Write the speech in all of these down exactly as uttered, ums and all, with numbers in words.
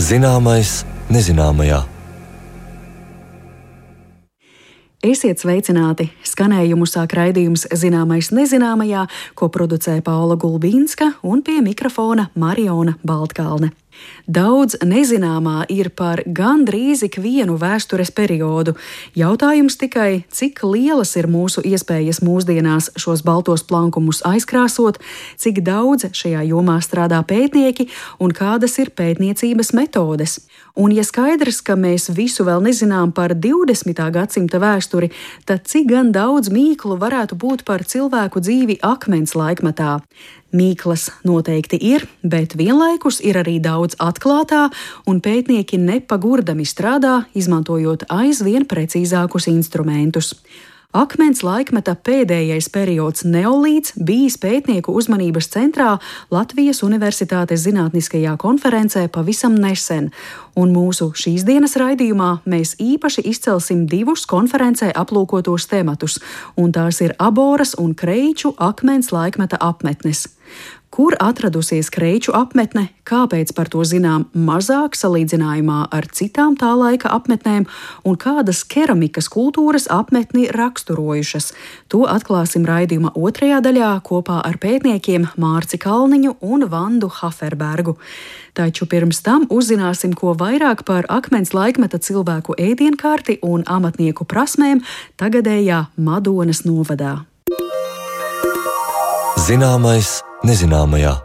Zināmais nezināmajā. Esiet sveicināti! Skanējumu sāk raidījums Zināmais nezināmajā, ko producē Paula Gulbīnska un pie mikrofona Mariona Baltkalne. Daudz nezināmā ir par gandrīz ikvienu vēstures periodu. Jautājums tikai, cik lielas ir mūsu iespējas mūsdienās šos baltos plankumus aizkrāsot, cik daudz šajā jomā strādā pētnieki un kādas ir pētniecības metodes. Un ja skaidrs, ka mēs visu vēl nezinām par divdesmitā gadsimta vēsturi, tad cik gan daudz mīklu varētu būt par cilvēku dzīvi akmens laikmetā? Mīklas noteikti ir, bet vienlaikus ir arī daudz atklātā, un pētnieki nepagurdami strādā, izmantojot aizvien precīzākus instrumentus. Akmens laikmeta pēdējais periods neolīts bijis pētnieku uzmanības centrā Latvijas Universitātes zinātniskajā konferencē pavisam nesen, un mūsu šīs dienas raidījumā mēs īpaši izcelsim divus konferencē aplūkotos tematus, un tās ir Aboras un Kreiču akmens laikmeta apmetnes. Kur atradusies Kreiču apmetne, kāpēc par to zinām mazāk salīdzinājumā ar citām tā laika apmetnēm un kādas keramikas kultūras apmetni raksturojušas? To atklāsim raidījuma otrajā daļā kopā ar pētniekiem Mārci Kalniņu un Vandu Haferbergu. Taču pirms tam uzzināsim, ko vairāk par akmens laikmeta cilvēku ēdienkarti un amatnieku prasmēm tagadējā Madonas novadā. Zināmais nezināmajā.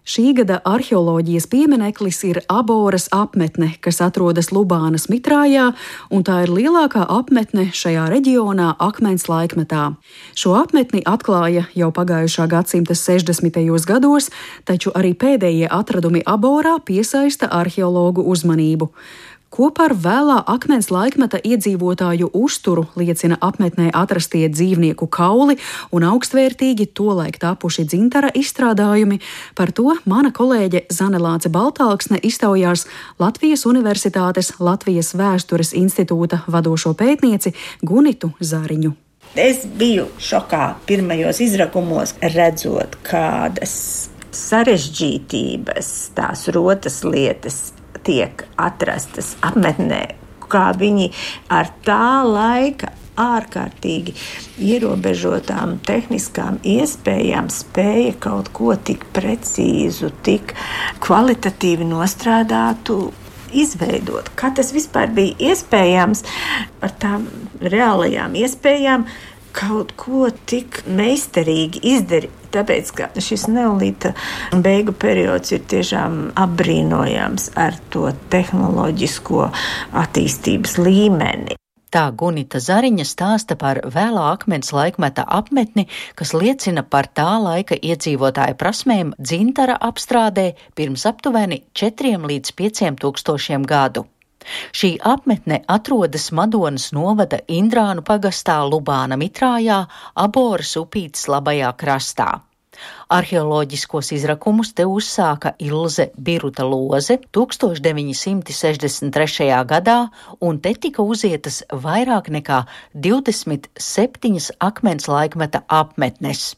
Šī gada arheoloģijas piemineklis ir Aboras apmetne, kas atrodas Lubānas Mitrājā, un tā ir lielākā apmetne šajā reģionā akmens laikmetā. Šo apmetni atklāja jau pagājušā gadsimta sešdesmitajos gados, taču arī pēdējie atradumi Aborā piesaista arheologu uzmanību. Ko par vēlā akmens laikmeta iedzīvotāju uzturu liecina apmetnē atrastie dzīvnieku kauli un augstvērtīgi tolaik tapuši dzintara izstrādājumi, par to mana kolēģe Zane Lāce Baltāksne iztaujās Latvijas Universitātes Latvijas Vēstures institūta vadošo pētnieci Gunitu Zariņu. Es biju šokā pirmajos izrakumos, redzot, kādas sarežģītības, tās rotas lietas tiek atrastas apmetnē, kā viņi ar tā laika ārkārtīgi ierobežotām tehniskām iespējām spēja kaut ko tik precīzu, tik kvalitatīvi nostrādātu izveidot. Kā tas vispār bija iespējams ar tām reālajām iespējām kaut ko tik meistarīgi izdarīt? Tāpēc, ka šis neolīta beigu periods ir tiešām apbrīnojams ar to tehnoloģisko attīstības līmeni. Tā Gunita Zariņa stāsta par vēlā akmens laikmeta apmetni, kas liecina par tā laika iedzīvotāju prasmēm dzintara apstrādē pirms aptuveni četriem līdz pieciem tūkstošiem gadu. Šī apmetne atrodas Madonas novada Indrānu pagastā Lubāna Mitrājā, Aboras upītes labajā krastā. Arheoloģiskos izrakumus te uzsāka Ilze Biruta Loze tūkstoš deviņi simti sešdesmit trešajā gadā, un te tika uzietas vairāk nekā divdesmit septiņas akmens laikmeta apmetnes.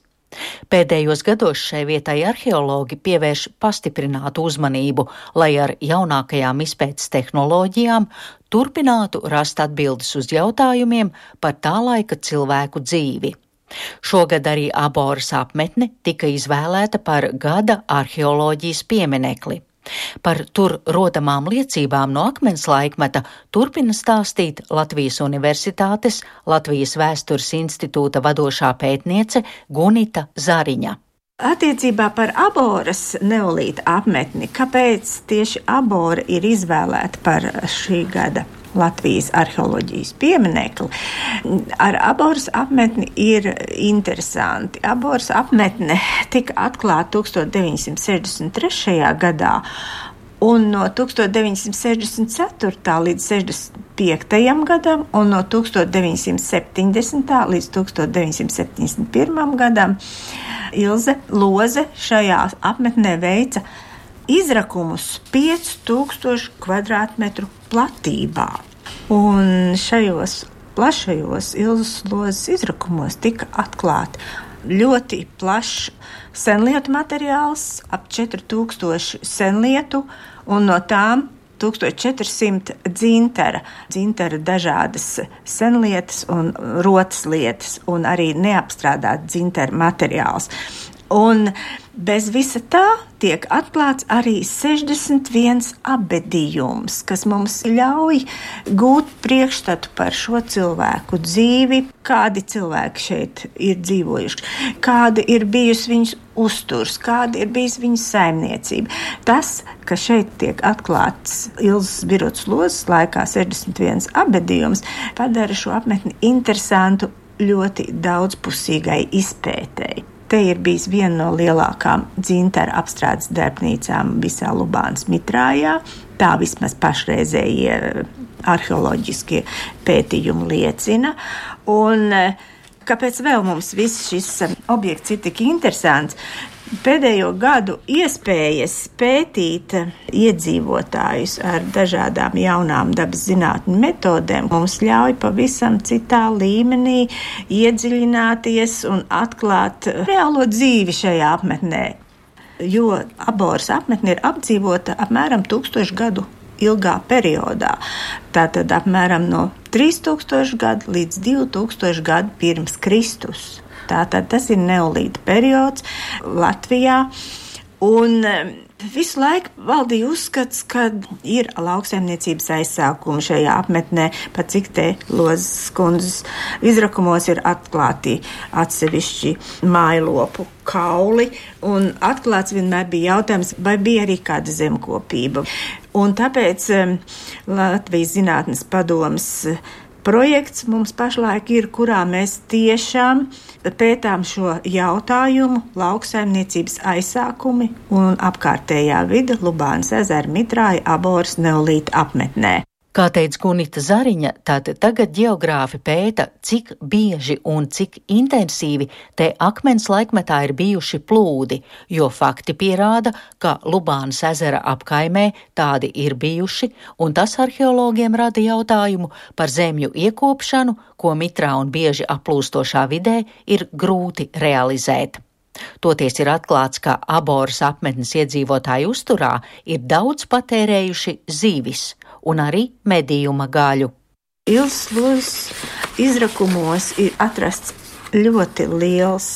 Pēdējos gados šai vietai arheologi pievērš pastiprinātu uzmanību, lai ar jaunākajām izpētes tehnoloģijām turpinātu rast atbildes uz jautājumiem par tā laika cilvēku dzīvi. Šogad arī Aboras apmetne tika izvēlēta par gada arheoloģijas pieminekli. Par tur rodamām liecībām no akmens laikmeta turpina stāstīt Latvijas Universitātes Latvijas Vēstures institūta vadošā pētniece Gunita Zariņa. Attiecībā par Aboras neolīta apmetni, kāpēc tieši Abora ir izvēlēta par šī gada Latvijas arheoloģijas pieminekli? Ar Aboras apmetni ir interesanti. Aboras apmetne tika atklāta tūkstoš deviņi simti sešdesmit trešajā gadā, un no tūkstoš deviņi simti sešdesmit ceturtā līdz sešdesmit piektajam gadam, un no tūkstoš deviņi simti septiņdesmitā līdz tūkstoš deviņi simti septiņdesmit pirmajam gadam Ilze Loze šajā apmetnē veica izrakumus pieci tūkstoši kvadrātmetru platībā. Un šajos plašajos Ilzes Lozes izrakumos tika atklāti ļoti plašs senlietu materiāls, ap četri tūkstoši senlietu, un no tām tūkstoš četri simti dzintara. Dzintara dažādas senlietas un rotas lietas, un arī neapstrādāt dzintara materiāls. Un bez visa tā tiek atklāts arī sešdesmit viens abedījums, kas mums ļauj gūt priekšstatu par šo cilvēku dzīvi, kādi cilvēki šeit ir dzīvojuši, kāda ir bijusi viņas uzturs, kāda ir bijusi viņas saimniecība. Tas, ka šeit tiek atklāts Ilzas Birutas Lozes laikā sešdesmit viens abedījums, padara šo apmetni interesantu ļoti daudzpusīgai izpētēji. Te ir bijis viena no lielākām dzintara apstrādes darbnīcām visā Lubānas mitrājā. Tā vismaz pašreizējie arheoloģiskie pētījumi liecina. Un kāpēc vēl mums viss šis objekts ir tik interesants? Pēdējo gadu iespējas pētīt iedzīvotājus ar dažādām jaunām dabas zinātņu metodēm mums ļauj pavisam citā līmenī iedziļināties un atklāt reālo dzīvi šajā apmetnē. Jo Aboras apmetne ir apdzīvota apmēram tūkstošu gadu ilgā periodā. Tātad apmēram no trīs tūkstoši gadu līdz divi tūkstoši gadu pirms Kristus. Tātad tas ir neolīta periods Latvijā, un visu laiku valdīja uzskats, ka ir lauksaimniecības aizsākumi šajā apmetnē, pat cik te Lozes kundzes izrakumos ir atklāti atsevišķi mājlopu kauli, un atklāts vienmēr bija jautājums, vai bija arī kāda zemkopība. Un tāpēc Latvijas Zinātnes padomes projekts mums pašlaik ir, kurā mēs tiešām pētām šo jautājumu lauksaimniecības aizsākumi un apkārtējā vide Lubānas ezera mitrāja Aboras neolīta apmetnē. Kā teica Gunita Zariņa, tātad tagad ģeogrāfi pēta, cik bieži un cik intensīvi te akmens laikmetā ir bijuši plūdi, jo fakti pierāda, ka Lubānas ezera apkaimē tādi ir bijuši, un tas arheologiem rada jautājumu par zemju iekopšanu, ko mitrā un bieži aplūstošā vidē ir grūti realizēt. Toties ir atklāts, ka Aboras apmetnes iedzīvotāju uzturā ir daudz patērējuši zivis un arī medījuma gaļu. Ilzas Lozes izrakumos ir atrasts ļoti liels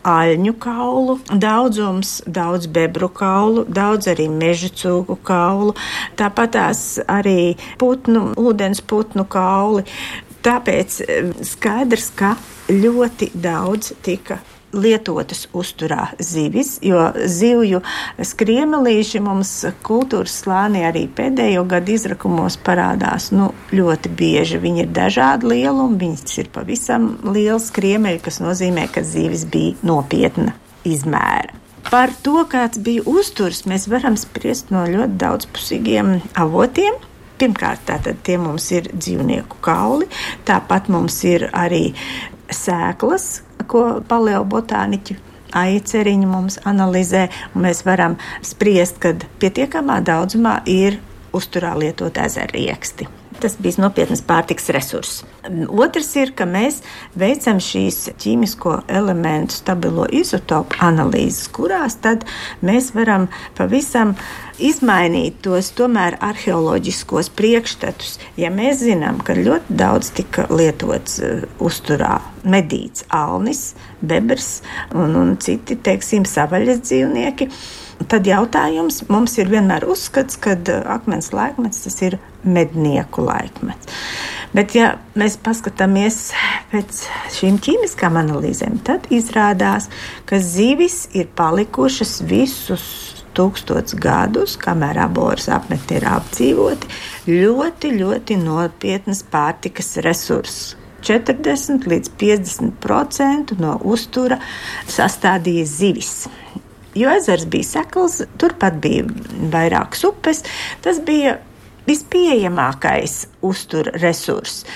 aļņu kaulu daudzums, daudz bebru kaulu, daudz arī meža cūku kaulu, tāpatās arī putnu, ūdens putnu kauli. Tāpēc skaidrs, ka ļoti daudz tika lietotas uzturā zivis, jo zivju skriemelīši mums kultūras slānī arī pēdējo gadu izrakumos parādās nu, ļoti bieži. Viņi ir dažādi lielumi, viņas ir pavisam liels skriemeļi, kas nozīmē, ka zivis bija nopietna izmēra. Par to, kāds bija uzturs, mēs varam spriest no ļoti daudzpusīgiem avotiem. Pirmkārt, tātad tie mums ir dzīvnieku kauli, tāpat mums ir arī sēklas, ko paleobotāniķi Aiceriņi mums analizē, un mēs varam spriest, kad pietiekamā daudzumā ir uzturā lietot ezerrieksti. Tas bija nopietnas pārtikas resurss. Otrs ir, ka mēs veicam šīs ķīmisko elementu stabilo izotopu analīzes, kurās tad mēs varam pavisam izmainīt tos tomēr arheoloģiskos priekšstatus. Ja mēs zinām, ka ļoti daudz tika lietots uh, uzturā medīts alnis, bebrs un, un citi, teiksim, savaļas dzīvnieki, tad jautājums mums ir vienmēr uzskats, ka akmens laikmets tas ir mednieku laikmets. Bet ja mēs paskatāmies pēc šīm ķīmiskām analīzēm, tad izrādās, ka zivis ir palikušas visus tūkstots gadus, kamēr Aboras apmetne ir apdzīvoti, ļoti, ļoti nopietnas pārtikas resursus. četrdesmit līdz piecdesmit procenti no uztura sastādīja zivis. Jo ezers bija sekls, turpat bija vairākas upes, tas bija vispieejamākais uztura resurss.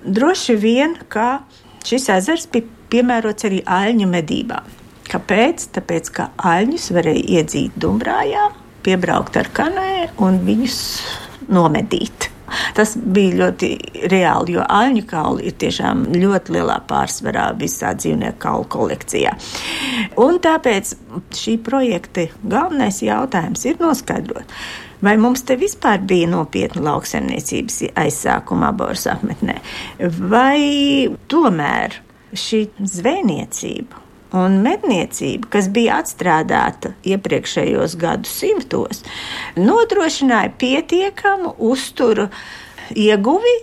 Droši vien, ka šis ezers bija piemērots arī aļņu medībām. Kāpēc? Tāpēc, ka aļņus varēja iedzīt Dumbrājā, piebraukt ar kanē un viņus nomedīt. Tas bija ļoti reāli, jo aļņu kauli ir tiešām ļoti lielā pārsvarā visā dzīvnieku kaulu kolekcijā. Un tāpēc šī projekta galvenais jautājums ir noskaidrot, vai mums te vispār bija nopietna lauksaimniecības aizsākuma Aboras apmetnē, vai tomēr šī zvejniecība un medniecība, kas bija atstrādāta iepriekšējos gadu simtos, nodrošināja pietiekamu uzturu ieguvi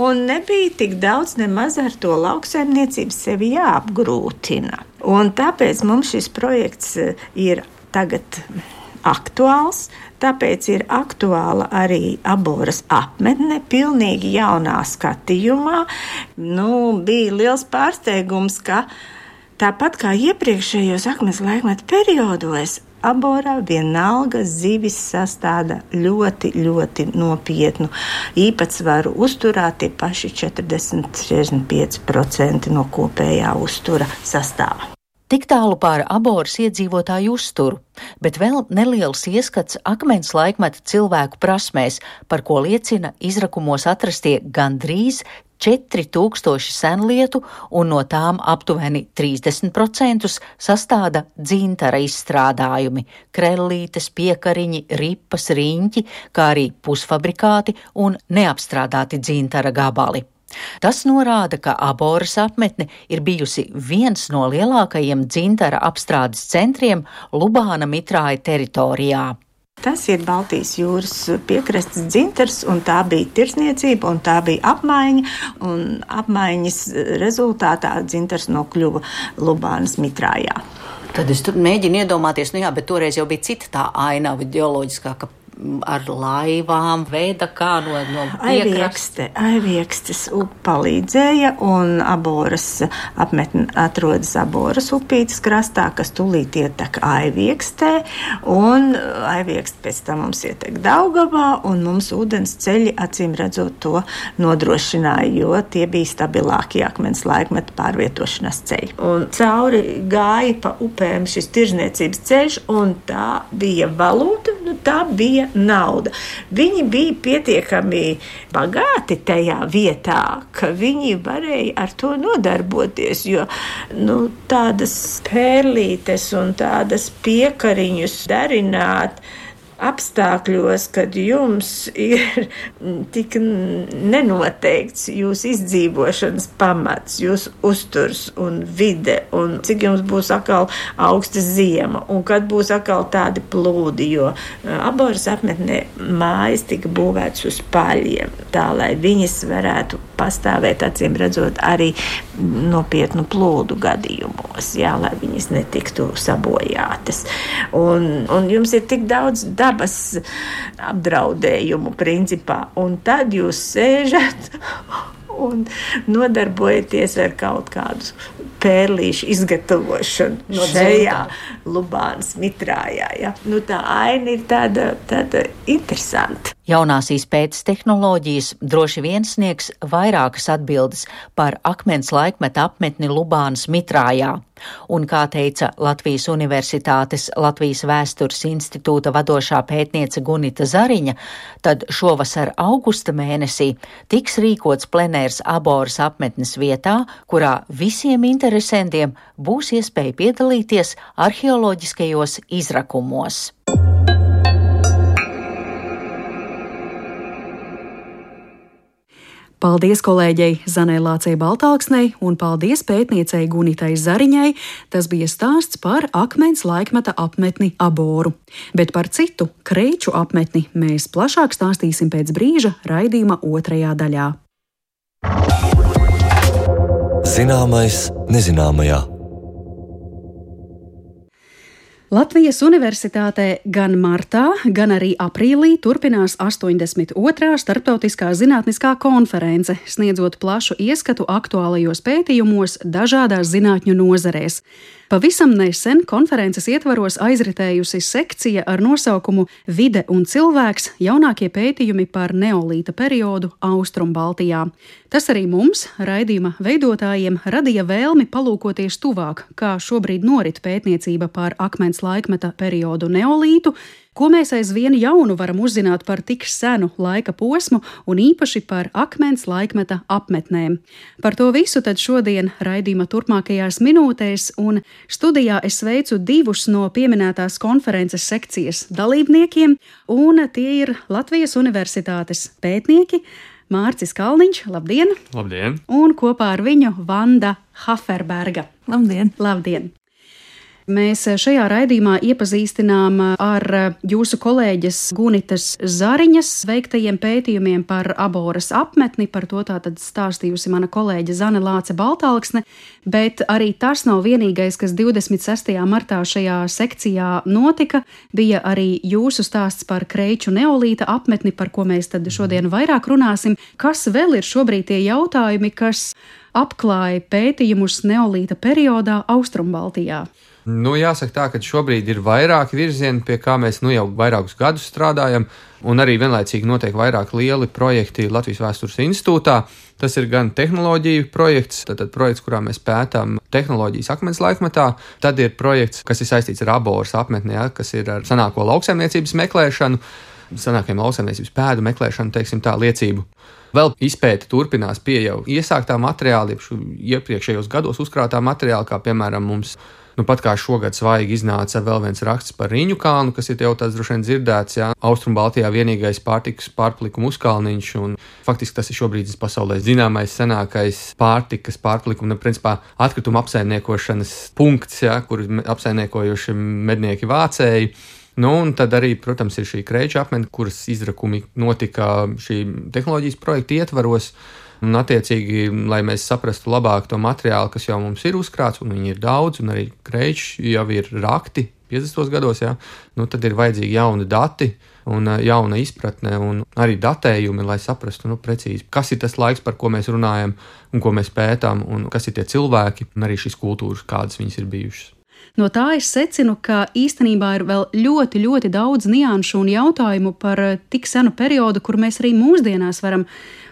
un nebija tik daudz nemaz ar to lauksaimniecību sevi jāapgrūtina. Un tāpēc mums šis projekts ir tagad aktuāls, tāpēc ir aktuāla arī Aboras apmetne, pilnīgi jaunā skatījumā. Nu, bija liels pārsteigums, ka tāpat kā iepriekšējos akmens laikmeta periodos, Aborā vienalga zivis sastāda ļoti, ļoti nopietnu īpatsvaru uzturā, tie paši četrdesmit līdz četrdesmit pieci procenti no kopējā uztura sastāva. Tik tālu par Aboras iedzīvotāju uzturu, bet vēl neliels ieskats akmens laikmeta cilvēku prasmēs, par ko liecina izrakumos atrastie gandrīz četri tūkstoši senlietu, un no tām aptuveni trīsdesmit procenti sastāda dzintara izstrādājumi – krellītes, piekariņi, ripas, riņķi, kā arī pusfabrikāti un neapstrādāti dzintara gabali. Tas norāda, ka Aboras apmetne ir bijusi viens no lielākajiem dzintara apstrādes centriem Lubāna Mitrāja teritorijā. Tas ir Baltijas jūras piekrastes dzintars, un tā bija tirsniecība, un tā bija apmaiņa, un apmaiņas rezultātā dzintars nokļuva Lubānas Mitrājā. Tad es tur mēģinu iedomāties, nu jā, bet toreiz jau bija cita tā ainava ģeoloģiskā, ka ar laivām veida kā no, no piekrastes. Aiviekstes palīdzēja, un Aboras apmetne atrodas Aboras upītes krastā, kas tūlīt ietek Aiviekstē, un Aiviekste pēc tam mums ietek Daugavā, un mums ūdens ceļi, acīm redzot, to nodrošināja, jo tie bija stabilākie akmens laikmeta pārvietošanās ceļi. Un cauri gāja pa upēm šis tirzniecības ceļš, un tā bija valūta, nu tā bija nauda. Viņi bija pietiekami bagāti tajā vietā, ka viņi varēja ar to nodarboties, jo nu, tādas pērlītes un tādas piekariņus darināt apstākļos, kad jums ir tik nenoteikts jūsu izdzīvošanas pamats, jūsu uzturs un vide, un cik jums būs atkal augsta ziema, un kad būs atkal tādi plūdi, jo Aboras apmetnē mājas tika būvētas uz paļiem, tā lai viņas varētu pastāvēt, acīm redzot, arī nopietnu plūdu gadījumos, jā, lai viņas netiktu sabojātas. Un, un jums ir tik daudz dabas apdraudējumu principā, un tad jūs sēžat un nodarbojaties ar kaut kādu pērlīšu izgatavošanu no šajā Lubānas Mitrājā. Ja? Nu, tā aina ir tāda, tāda interesanta. Jaunās izpētes tehnoloģijas droši vien sniegs vairākas atbildes par akmens laikmeta apmetni Lubānas Mitrājā. Un, kā teica Latvijas Universitātes Latvijas Vēstures institūta vadošā pētniece Gunita Zariņa, tad šovasar augusta mēnesī tiks rīkots plenērs Aboras apmetnes vietā, kurā visiem interesantiem būs iespēja piedalīties arheoloģiskajos izrakumos. Paldies kolēģei Zanai Lācei Baltāksnei un paldies pētniecei Gunitai Zariņai. Tas bija stāsts par akmens laikmeta apmetni Aboru. Bet par citu Kreiču apmetni mēs plašāk stāstīsim pēc brīža raidījuma otrajā daļā. Zināmais nezināmajā. Latvijas Universitātē gan martā, gan arī aprīlī turpinās astoņdesmit otrā starptautiskā zinātniskā konference, sniedzot plašu ieskatu aktuālajos pētījumos dažādās zinātņu nozarēs. Pavisam nesen konferences ietvaros aizritējusi sekcija ar nosaukumu Vide un cilvēks – jaunākie pētījumi par neolīta periodu Austrumbaltijā. Tas arī mums, raidījuma veidotājiem, radīja vēlmi palūkoties tuvāk, kā šobrīd norit pētniecība par akmens laikmeta periodu neolītu, Ko mēs aizvien jaunu varam uzzināt par tik senu laika posmu un īpaši par akmens laikmeta apmetnēm? Par to visu tad šodien raidījuma turpmākajās minūtēs, un studijā es sveicu divus no pieminētās konferences sekcijas dalībniekiem, un tie ir Latvijas Universitātes pētnieki Mārcis Kalniņš, labdien! Labdien! Un kopā ar viņu Vanda Haferberga. Labdien! Labdien! Mēs šajā raidījumā iepazīstinām ar jūsu kolēģes Gunitas Zariņas veiktajiem pētījumiem par Aboras apmetni, par to tātad stāstījusi mana kolēģe Zane Lāce Baltalksne, bet arī tas nav vienīgais, kas divdesmit sestajā martā šajā sekcijā notika, bija arī jūsu stāsts par Kreiču neolīta apmetni, par ko mēs tad šodien vairāk runāsim. Kas vēl ir šobrīd tie jautājumi, kas apklāja pētījumus neolīta periodā Austrumbaltijā? Nu, jāsaka tā, ka šobrīd ir vairāki virzieni, pie kā mēs nu jau vairākus gadus strādājam, un arī vienlaicīgi notiek vairāk lieli projekti Latvijas Vēstures institūtā. Tas ir gan tehnoloģiju projekts, tātad projekts, kurā mēs pētām tehnoloģijas akmens laikmetā. Tad ir projekts, kas ir saistīts ar Aboras apmetni, ja, kas ir ar senāko lauksaimniecības meklēšanu, senākajiem lauksaimniecības pēdu meklēšanu, teiksim tā, liecību. Vēl izpēte turpinās pie jau iesāktā materiāla, iepriekšējos gados uzkrātā materiāla, kā piemēram mums Nu, pat kā šogad svaigi iznāca vēl viens raksts par Riņu kalnu, kas ir jau tāds droši vien dzirdēts, jā. Austrumbaltijā vienīgais pārtikas pārpalikuma uzkalniņš, un faktiski tas ir šobrīd pasaulē zināmais senākais pārtikas pārpalikuma, nu, principā atkrituma apsaimniekošanas punkts, jā, kur apsaimniekojuši mednieki vācēji. Nu, un tad arī, protams, ir šī Kreiča apmetne, kuras izrakumi notika šī tehnoloģijas projekta ietvaros. Un, attiecīgi, lai mēs saprastu labāk to materiālu, kas jau mums ir uzkrāts, un viņi ir daudz, un arī Kreičs jau ir rakti piecdesmitos gados, jā, nu, tad ir vajadzīgi jauni dati un jauna izpratne un arī datējumi, lai saprastu nu, precīzi, kas ir tas laiks, par ko mēs runājam un ko mēs pētām, un kas ir tie cilvēki un arī šīs kultūras, kādas viņas ir bijušas. No tā es secinu, ka īstenībā ir vēl ļoti, ļoti daudz nianšu un jautājumu par tik senu periodu, kur mēs arī mūsdienās varam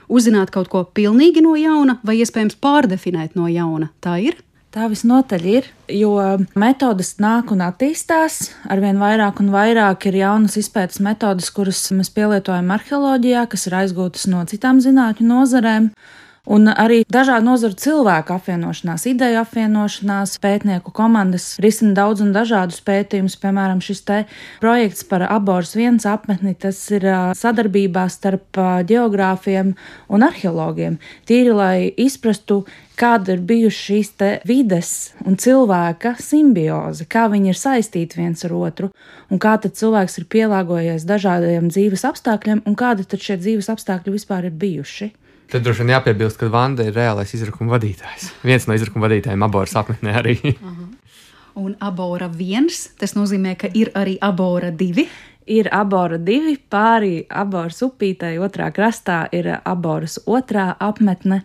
uzzināt kaut ko pilnīgi no jauna vai iespējams pārdefinēt no jauna. Tā ir? Tā visnotaļ ir, jo metodas nāk un attīstās. Arvien vairāk un vairāk ir jaunas izpētes metodas, kuras mēs pielietojam arheoloģijā, kas ir aizgūtas no citām zinātņu nozarēm. Un arī dažādu nozaru cilvēku apvienošanās, ideju apvienošanās, pētnieku komandas risina daudz un dažādus pētījumus. Piemēram, šis te projekts par Aboras viens apmetni, tas ir sadarbībā starp ģeogrāfiem un arheologiem. Tīri, lai izprastu, kāda ir bijuši šīs te vides un cilvēka simbioze, kā viņi ir saistīti viens ar otru, un kā tad cilvēks ir pielāgojies dažādiem dzīves apstākļiem, un kādi tad šie dzīves apstākļi vispār ir bijuši. Tad droši vien jāpiebilst, ka Vanda ir reālais izrakuma vadītājs. Viens no izrakuma vadītājiem Aboras apmetnē arī. Aha. Un Abora viens, tas nozīmē, ka ir arī Abora divi? Ir Abora divi, pāri Aboras upītei otrā krastā ir Aboras otrā apmetne.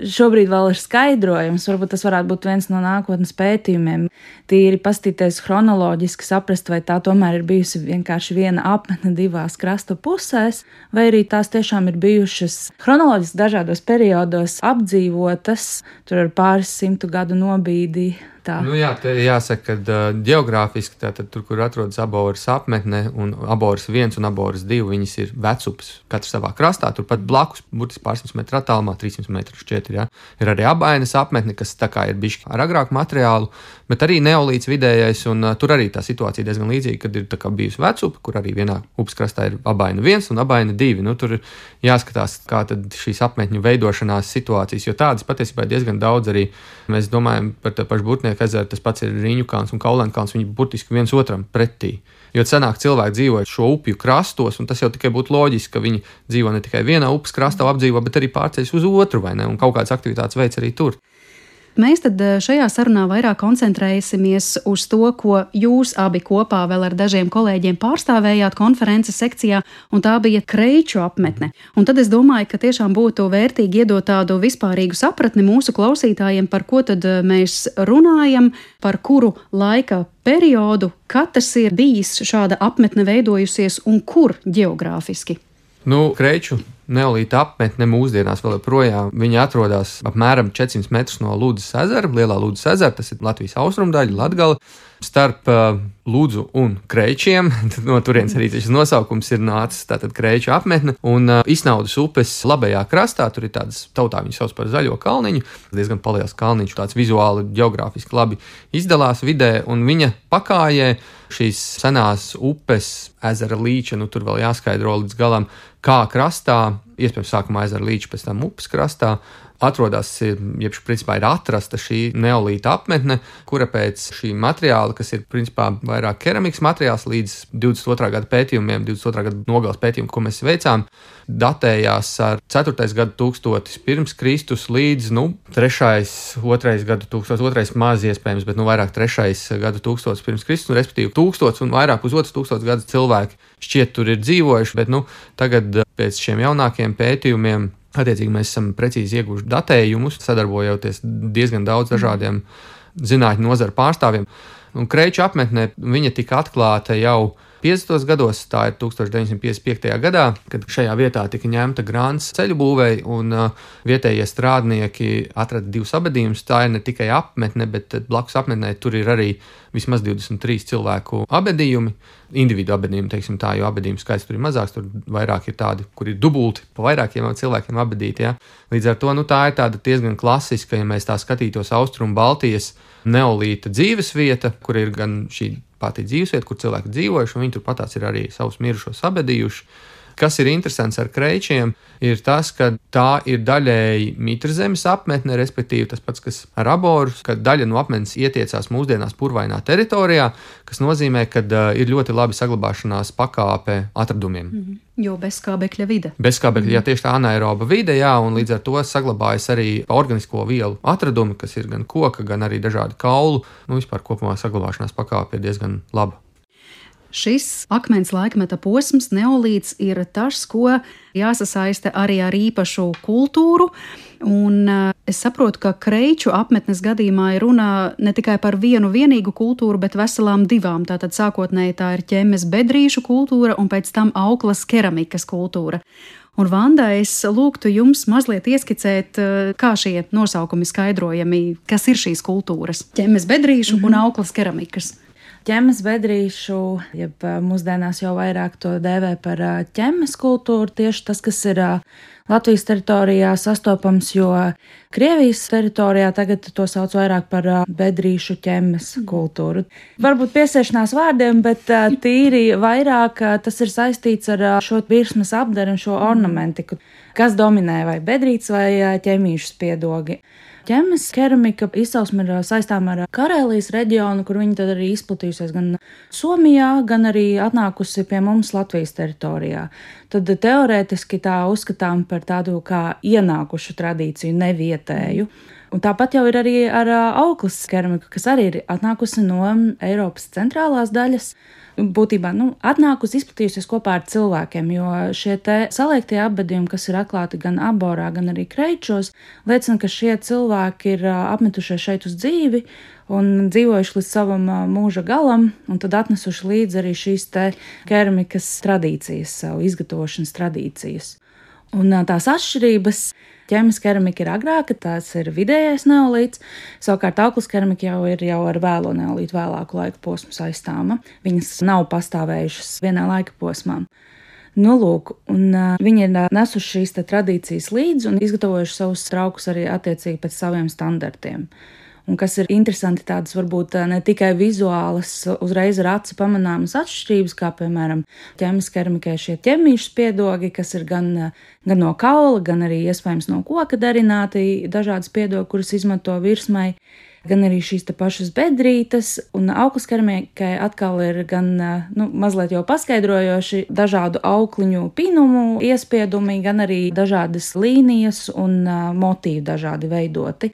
Šobrīd vēl ir skaidrojums, varbūt tas varētu būt viens no nākotnes pētījumiem. Tīri pastīties chronoloģiski saprast, vai tā tomēr ir bijusi vienkārši viena apmetne divās krasta pusēs, vai arī tās tiešām ir bijušas chronoloģiski dažādos periodos apdzīvotas, tur ar pāris simtu gadu nobīdī. Tā. Nu jā, te jāsaka, ka uh, ģeogrāfiski tātad tur, kur atrodas Aboras apmetne un Aboras viens un Aboras divi, viņas ir vecupas katrs savā krastā, turpat blakus, burtiski pārsimt metru attālumā, trīssimt metru šķiet, jā. Ir arī Abainas apmetne, kas tā kā ir bišķi ar agrāku materiālu, bet arī neolīts vidējais, un uh, tur arī tā situācija diezgan līdzīga, kad ir tā kā bijusi vecupa, kur arī vienā upes krastā ir Abaina viens un Abaina divi. Nu, tur ir jāskatās, kā tad šīs apmetņu veidošanās situācijas, jo tādas patiesībā ir diezgan daudz arī. Mēs domājam par tā pašu Burtnieku ezeru, tas pats ir Riņu kalns un Kaulēnu kalns, viņi burtiski viens otram pretī. Jo senāk cilvēki dzīvoja šo upju krastos, un tas jau tikai būtu loģiski, ka viņi dzīvo ne tikai vienā upes krastā apdzīvo, bet arī pārceļas uz otru, vai ne, un kaut kādas aktivitātes veids arī tur. Mēs tad šajā sarunā vairāk koncentrēsimies uz to, ko jūs abi kopā vēl ar dažiem kolēģiem pārstāvējāt konferences sekcijā, un tā bija Kreiču apmetne. Un tad es domāju, ka tiešām būtu vērtīgi iedot tādu vispārīgu sapratni mūsu klausītājiem, par ko tad mēs runājam, par kuru laika periodu, kad tas ir bijis šāda apmetne veidojusies un kur ģeogrāfiski. Nu, Kreiču neolīta apmetne mūsdienās vēl joprojām. Viņa atrodas apmēram četrsimt metrus no Ludzas ezera, Lielā Ludzas ezera, tas ir Latvijas austrumdaļa, Latgala. starp uh, Ludzu un Kreičiem. No turienes arī šis nosaukums ir nācis, tātad Kreiču apmetne. Un uh, Isnaudas upes labajā krastā, tur ir tādas, tautā viņi sauc par zaļo kalniņu, diezgan paliels kalniņš, tāds vizuāli, geogrāfiski labi izdalās vidē, un viņa pakājē šīs senās upes, ezera līča, nu tur vēl jāskaidro līdz galam, kā krastā, iespējams sākumā ezera līča, pēc tam upes krastā, atrodas, jeb principā ir atrasta šī neolīta apmetne, kura pēc šī materiāla, kas ir principā vairāk keramikas materiāls līdz divdesmit otrā gada pētījumiem, divdesmit otrā gada nogales pētījumu, ko mēs veicām, datējās ar ceturtais gadu tūkstotis pirms Kristus līdz, nu, trešais, otrais gadu tūkstotis, otrais maz iespējams, bet, nu, vairāk trešais gadu tūkstotis pirms Kristus, un respektīvi tūkstots un vairāk uz otrs tūkstots gadu cilvēki šķiet tur ir dzīvojuši, bet, nu, tagad pēc šiem jaunākiem pētījumiem attiecīgi mēs esam precīzi ieguvuši datējumus, sadarbojoties diezgan daudz dažādiem zinātņu nozaru pārstāvjiem. Un Kreiču apmetnē viņa tika atklāta jau piecdesmitos gados, tā ir tūkstoš deviņsimt piecdesmit piektajā gadā, kad šajā vietā tika ņemta grants ceļu būvei, un uh, vietējie strādnieki atrada divus abedījumus. Tā ir ne tikai apmetne, bet blakus apmetnē tur ir arī vismaz divdesmit trīs cilvēku abedījumi, individu abedījumi, teiksim tā, jo abedījumu skaits tur ir mazāks, tur vairāk ir tādi, kur ir dubulti pa vairākiem cilvēkiem abedīti, ja. Līdz ar to, nu, tā ir tāda diezgan klasiska, ja mēs tā skatītos Austrumu Baltijas neolīta dzīvesvieta, kur ir gan šī pati dzīvesvieta, kur cilvēki dzīvojuši, un viņi turpat tās ir arī savus mirušos abedījuši. Kas ir interesants ar Kreičiem, ir tas, ka tā ir daļēji Mitrzemes apmetne, respektīvi tas pats, kas ar Aboru, ka daļa no apmetnes ietiecās mūsdienās purvainā teritorijā, kas nozīmē, ka uh, ir ļoti labi saglabāšanās pakāpe atradumiem. Mm-hmm. Jo bezskābekļa vide. Bezskābekļa, mm-hmm. jā, tieši tā anaeroba vide, jā, un līdz ar to saglabājas arī organisko vielu atradumi, kas ir gan koka, gan arī dažādi kaulu, nu vispār kopumā saglabāšanās pakāpe ir diezgan laba. Šis akmens laikmeta posms, neolīts, ir tas, ko jāsasaista arī ar īpašu kultūru. Un es saprotu, ka Kreiču apmetnes gadījumā ir runa ne tikai par vienu vienīgu kultūru, bet veselām divām. Tātad sākotnēji tā ir ķemmes bedrīšu kultūra un pēc tam auklas keramikas kultūra. Un, Vanda, es lūgtu jums mazliet ieskicēt, kā šie nosaukumi skaidrojami, kas ir šīs kultūras. Ķemmes bedrīšu mm-hmm. un auklas keramikas. Ķemmes bedrīšu, jeb mūsdienās jau vairāk to dēvē par ķemmes kultūru, tieši tas, kas ir Latvijas teritorijā sastopams, jo Krievijas teritorijā tagad to sauc vairāk par bedrīšu ķemmes kultūru. Varbūt piesiešanās vārdiem, bet tīri vairāk tas ir saistīts ar šo virsmas apdaru un šo ornamentiku, kas dominē vai bedrītes vai ķemīšu spiedogi. Ķemmes keramika izcelsme ir saistām ar Karēlijas reģionu, kur viņa tad arī izplatījusies gan Somijā, gan arī atnākusi pie mums Latvijas teritorijā. Tad teorētiski tā uzskatām par tādu kā ienākušu tradīciju, nevietēju. Un tāpat jau ir arī ar auklas keramiku, kas arī ir atnākusi no Eiropas centrālās daļas. Būtībā nu, atnākusi izplatījusies kopā ar cilvēkiem, jo šie te saliektie apbedījumi, kas ir atklāti gan Aborā, gan arī Kreičos, liecina, ka šie cilvēki ir apmetušies šeit uz dzīvi un dzīvojuši līdz savam mūža galam, un tad atnesuši līdzi arī šīs te keramikas tradīcijas, savu izgatavošanas tradīcijas. Un tās atšķirības. Ķemmes keramika ir agrāka, tās ir vidējais neolīts, savukārt auklas keramika jau ir jau ar vēlo neolītu vēlāku laika posmu saistāma. Viņas nav pastāvējušas vienā laika posmā. Nu, lūk, un uh, viņi ir nesuši šīs te tradīcijas līdzi un izgatavojuši savus traukus arī attiecīgi pēc saviem standartiem. Un kas ir interesanti, tādas varbūt ne tikai vizuālas, uzreiz ar aci pamanāmas atšķirības, kā piemēram ķemmes keramikai šie ķemīšu spiedogi, kas ir gan, gan no kaula, gan arī iespējams no koka darināti dažādi spiedogi, kurus izmanto virsmai, gan arī šīs te pašas bedrītes, un auklas keramikai atkal ir gan, nu, mazliet jau paskaidrojoši dažādu aukliņu pīnumu iespiedumi, gan arī dažādas līnijas un motīvi dažādi veidoti.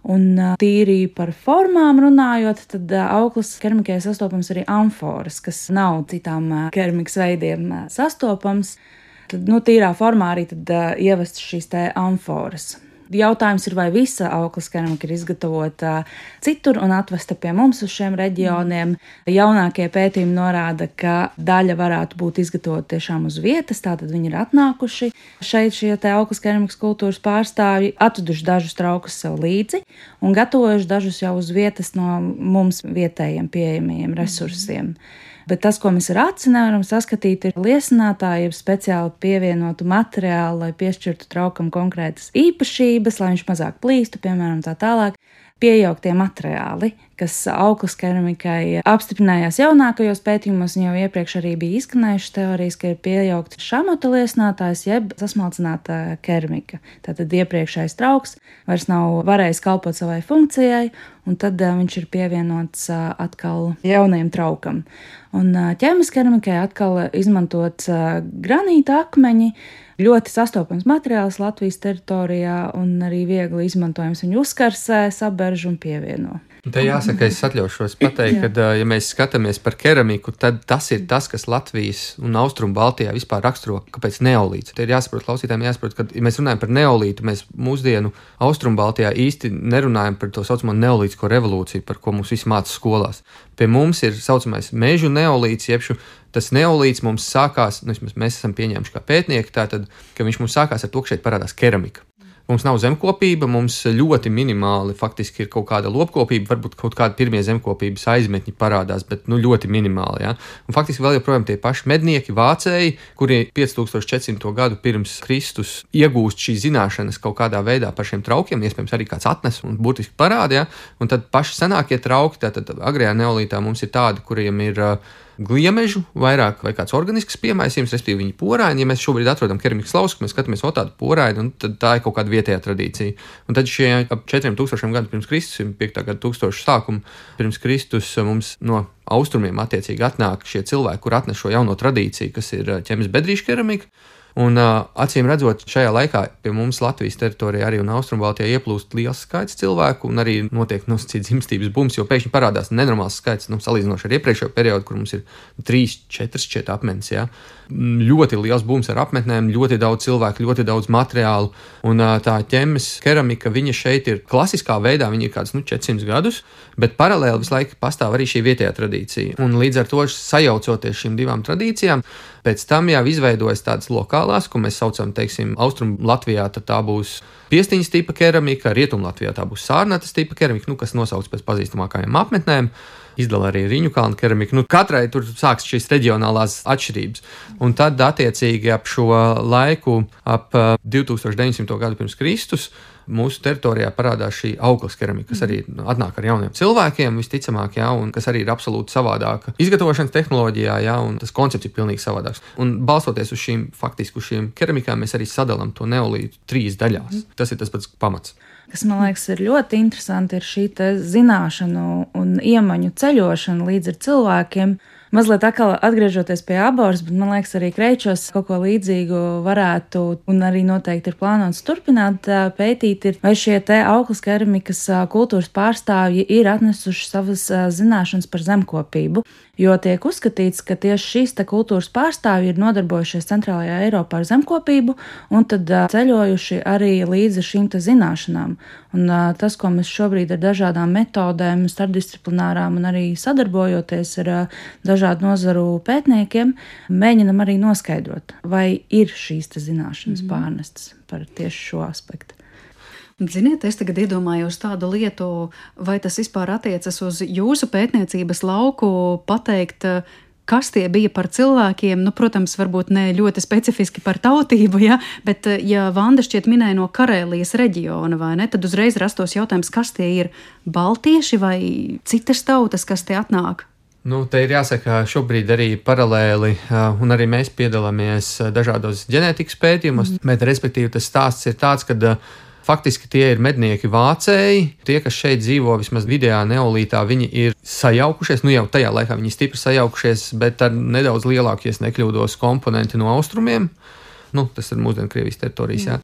Un tīri par formām runājot, tad auklas keramikai sastopams arī amforas, kas nav citām keramikas veidiem sastopams. Tad, nu, tīrā formā arī tad ievest šīs te amforas. Jautājums ir, vai visa auklas keramika ir izgatavota citur un atvesta pie mums uz šiem reģioniem. Jaunākie pētījumi norāda, ka daļa varētu būt izgatavota tiešām uz vietas, tātad viņi ir atnākuši šeit šie te auklas keramikas kultūras pārstāvji, atveduši dažus traukus sev līdzi un gatavojuši dažus jau uz vietas no mums vietējiem pieejamajiem resursiem. Bet tas, ko mēs ar aci nevaram saskatīt, ir liesinātāji, jeb speciāli pievienotu materiālu, lai piešķirtu traukam konkrētas īpašības, lai viņš mazāk plīstu, piemēram, tā tālāk. Piejauktie materiāli, kas auklas keramikai apstiprinājās jaunākajos pētījumos, un jau iepriekš arī bija izskanējušas teorijas, ka ir piejaukts šamota liesinātājs jeb sasmalcināta keramika. Tātad iepriekšējais trauks vairs nav varējis kalpot savai funkcijai, un tad uh, viņš ir pievienots uh, atkal jaunajam traukam. Un uh, ķēmas keramikai atkal izmantots uh, granīta akmeņi, ļoti sastopams materiāls Latvijas teritorijā un arī viegli izmantojams. Viņu uzkarsē, saberž un pievieno. Te jāsaka, es atļaušos pateikt, ka, ja mēs skatāmies par keramiku, tad tas ir tas, kas Latvijas un Austrumu Baltijā vispār raksturo, kāpēc neolīts. Te ir jāsaprot, klausītājiem jāsaprot, ka, ja mēs runājam par neolītu, mēs mūsdienu Austrumu Baltijā īsti nerunājam par to saucamo neolītisko revolūciju, par ko mums visi māca skolās. Pie mums ir saucamais mežu neolīts, jebšu tas neolīts mums sākās, nu, mēs esam pieņēmuši kā pētnieki, tātad, ka viņš mums sākās ar to, ka šeit parādās keramika. Mums nav zemkopība, mums ļoti minimāli faktiski ir kaut kāda lopkopība, varbūt kaut kādi pirmie zemkopības aizmetņi parādās, bet nu, ļoti minimāli. Ja? Un faktiski vēl joprojām tie paši mednieki, vācēji, kuri pieci tūkstoši četri simti gadu pirms Kristus iegūst šīs zināšanas kaut kādā veidā par šiem traukiem, iespējams arī kāds atnes un būtiski parāda, ja? Un tad paši senākie trauki, tātad agrējā neolītā mums ir tādi, kuriem ir uh, gliemežu vairāk vai kāds organisks piemaisījums, respektīvi viņi poraini. Ja mēs šobrīd atrodam keramikas lausku, mēs skatāmies o tādu poraini, un tad tā ir kaut kāda vietējā tradīcija. Un tad šie ap četriem tūkstošiem gadu pirms Kristus, piektā gada tūkstošu sākumu pirms Kristus mums no austrumiem attiecīgi atnāk šie cilvēki, kur atnes šo jauno tradīciju, kas ir ķemes bedrīšu keramika. Un uh, acīm redzot, šajā laikā pie mums Latvijas teritorijā arī un Austrumbaltijā ieplūst liels skaits cilvēku un arī notiek nosacīts dzimstības bums, jo pēkšņi parādās nenormāls skaits, nu, salīdzinoši ar iepriekšējo periodu, kur mums ir trīs, četras šķiet apmetnes, jā. Ļoti liels bums ar apmetnēm, ļoti daudz cilvēku, ļoti daudz materiālu, un uh, tā ķemes keramika, viņa šeit ir klasiskā veidā, viņa ir kāds, nu, četrsimt gadus, bet paralēli visu laiku pastāv arī šī vietējā tradīcija. Un līdz ar to sajaucoties šīm divām tradīcijām, pēc tam jau izveidojas tādas lokālās, ko mēs saucam, teiksim, Austrum Latvijā, tad tā būs piestiņas tipa keramika, Rietum Latvijā tā būs sārnatas tipa keramika, nu, kas nosauc pēc pazīstamākajām apmetnēm. Izdala arī Riņu kalnu keramiku. Nu, katrai tur sāks šīs reģionālās atšķirības. Un tad, attiecīgi, ap šo laiku, ap divi tūkstoši deviņsimto gadu pirms Kristus, mūsu teritorijā parādās šī auklas keramika, kas arī atnāk ar jauniem cilvēkiem, visticamāk, jā, un kas arī ir absolūti savādāka izgatavošanas tehnoloģijā, jā, un tas koncepts ir pilnīgi savādāks. Un balstoties uz šīm, faktiski uz šīm keramikām, mēs arī sadalām to neolītu trīs daļās. Tas ir tas pats pamats. Kas, man liekas, ir ļoti interesanti, ir šī te zināšanu un iemaņu ceļošana līdz ar cilvēkiem. Mazliet atkal atgriežoties pie Aboras, bet man liekas, arī Kreičos kaut ko līdzīgu varētu un arī noteikti ir plānots turpināt pētīt, ir, vai šie te auklas keramikas kultūras pārstāvji ir atnesuši savas zināšanas par zemkopību. Jo tiek uzskatīts, ka tieši šīs te kultūras pārstāvji ir nodarbojušies Centrālajā Eiropā ar zemkopību un tad ceļojuši arī līdzi šīm te zināšanām. Un tas, ko mēs šobrīd ar dažādām metodēm, starpdisciplinārām un arī sadarbojoties ar dažādu nozaru pētniekiem, mēģinam arī noskaidrot, vai ir šīs te zināšanas mm. pārnestas par tieši šo aspektu. Ziniet, es tagad iedomājos tādu lietu, vai tas vispār attiecas uz jūsu pētniecības lauku, pateikt, kas tie bija par cilvēkiem, nu, protams, varbūt ne ļoti specifiski par tautību, ja, bet ja Vanda šķiet minēja no Karēlijas reģiona, vai ne, tad uzreiz rastos jautājums, kas tie ir baltieši vai citas tautas, kas tie atnāk? Nu, te ir jāsaka, šobrīd arī paralēli, un arī mēs piedalāmies dažādos ģenētikas pētījumos, mm. bet respektīvi tas stāsts ir tāds, ka faktiski tie ir mednieki vācēji, tie, kas šeit dzīvo vismaz vidējā neolītā, viņi ir sajaukušies, nu jau tajā laikā viņi stipri sajaukušies, bet ar nedaudz lielāku, ja nekļūdos, komponenti no austrumiem. Nu, tas ir mūsdienu Krievijas teritorijas, jā.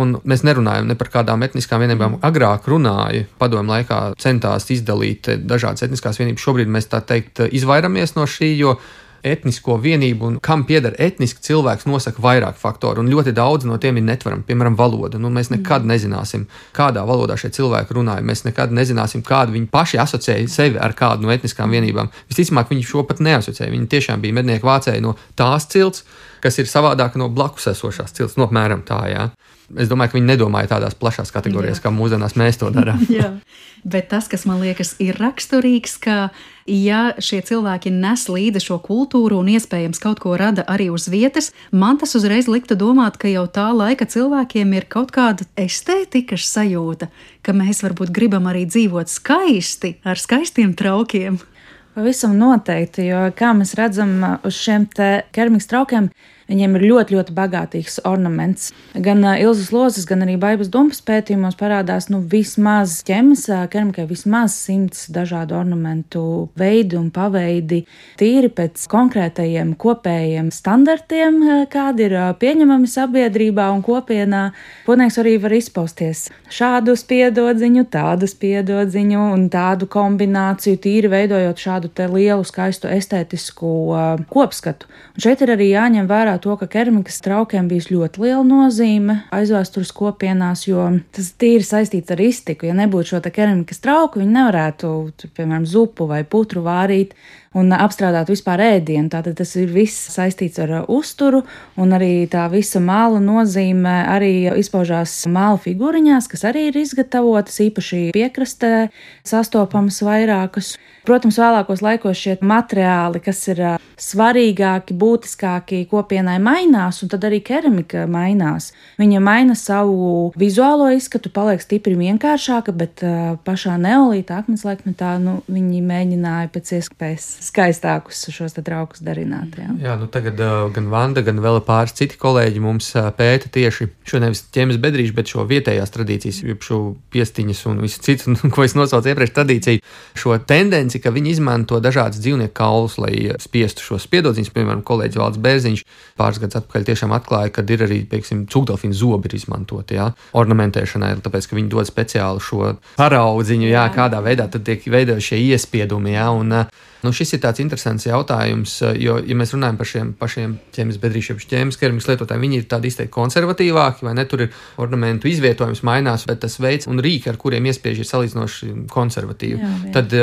Un mēs nerunājam ne par kādām etniskām vienībām. Agrāk runāja, padomju laikā centās izdalīt dažādas etniskās vienības. Šobrīd mēs tā teikt izvairamies no šī, jo etnisko vienību un kam pieder etniski cilvēks nosaka vairāk faktoru, un ļoti daudz no tiem ir netvaram, piemēram, valoda. Nu, mēs nekad nezināsim, kādā valodā šie cilvēki runāja, mēs nekad nezināsim, kādu viņi paši asociēja sevi ar kādu no etniskām vienībām. Visticamāk, viņi šo pat neasociēja, viņi tiešām bija mednieku vācēji no tās cilts, kas ir savādāka no blakus esošās cilts, no apmēram tā, jā. Es domāju, ka viņi nedomāja tādās plašās kategorijās, kā mūsdienās mēs to darām. Jā, bet tas, kas man liekas ir raksturīgs, ka ja šie cilvēki nes līdzi šo kultūru un iespējams kaut ko rada arī uz vietas, man tas uzreiz liktu domāt, ka jau tā laika cilvēkiem ir kaut kāda estētikas sajūta, ka mēs varbūt gribam arī dzīvot skaisti, ar skaistiem traukiem. Pavisam noteikti, jo kā mēs redzam uz šiem te keramikas traukiem, viņiem ir ļoti, ļoti bagātīgs ornaments. Gan Ilzas Lozes, gan arī Baibas Dumpas pētījumos parādās nu, vismaz ķemes keramikai vismaz simts dažādu ornamentu veidi un paveidi, tīri pēc konkrētajiem kopējiem standartiem, kādi ir pieņemami sabiedrībā un kopienā. Potnieks arī var izpausties šādu spiedodziņu, tādu spiedodziņu un tādu kombināciju, tīri veidojot šādu te lielu, skaistu estētisku kopskatu. Un šeit ir arī jāņem vērā to, ka keramikas traukiem bijis ļoti liela nozīme aizvēstures kopienās, jo tas tīri saistīts ar iztiku. Ja nebūtu šo te keramikas trauku, viņi nevarētu, piemēram, zupu vai putru vārīt un apstrādāt vispār ēdienu. Tātad tas ir viss saistīts ar uzturu, un arī tā visa māla nozīme arī izpaužās māla figūriņās, kas arī ir izgatavotas, īpaši piekrastē sastopamas vairākas. Protams, vēlākos laikos šie materiāli, kas ir svarīgāki, būtiskāki kopienai mainās, un tad arī keramika mainās. Viņa maina savu vizuālo izskatu, paliek stipri vienkāršāka, bet pašā neolīta akmens laikmetā nu, viņi mēģināja pēc iespējas skaistākus šos te traukus darināt. Jā, jā nu tagad uh, gan Vanda, gan vēl pāris citi kolēģi mums uh, pēta tieši šo nevis ķemes bedrīšu, bet šo vietējās tradīcijas, šo piestiņas un visu citu, ko es nosaucu iepriekš tradīciju, šo tendenci, ka viņi izmanto dažādas dzīvnieku kaulus, lai spiestu šos spiedodziņus. Piemēram, kolēģis Valds Bērziņš pāris gadus atpakaļ tiešām atklāja, ka ir arī, piemēram, cūkdelfīnu zobi ir izmantoti, jā, ornamentēšanai, tāpēc, ka viņi dod speciāli šo paraudziņu, jā, kādā veidā tad tiek veidoti šie iespiedumi, jā, un nu, šis ir tāds interesants jautājums, jo, ja mēs runājam par šiem pašiem ķemes bedrīšiem, ķemes keramikas lietotājiem, viņi ir tādi izteikti konservatīvāki, vai ne, tur ir ornamentu izvietojums mainās, bet tas veids un rīki, ar kuriem iespiež, ir salīdzinoši konservatīvi. Jā, jā. Tad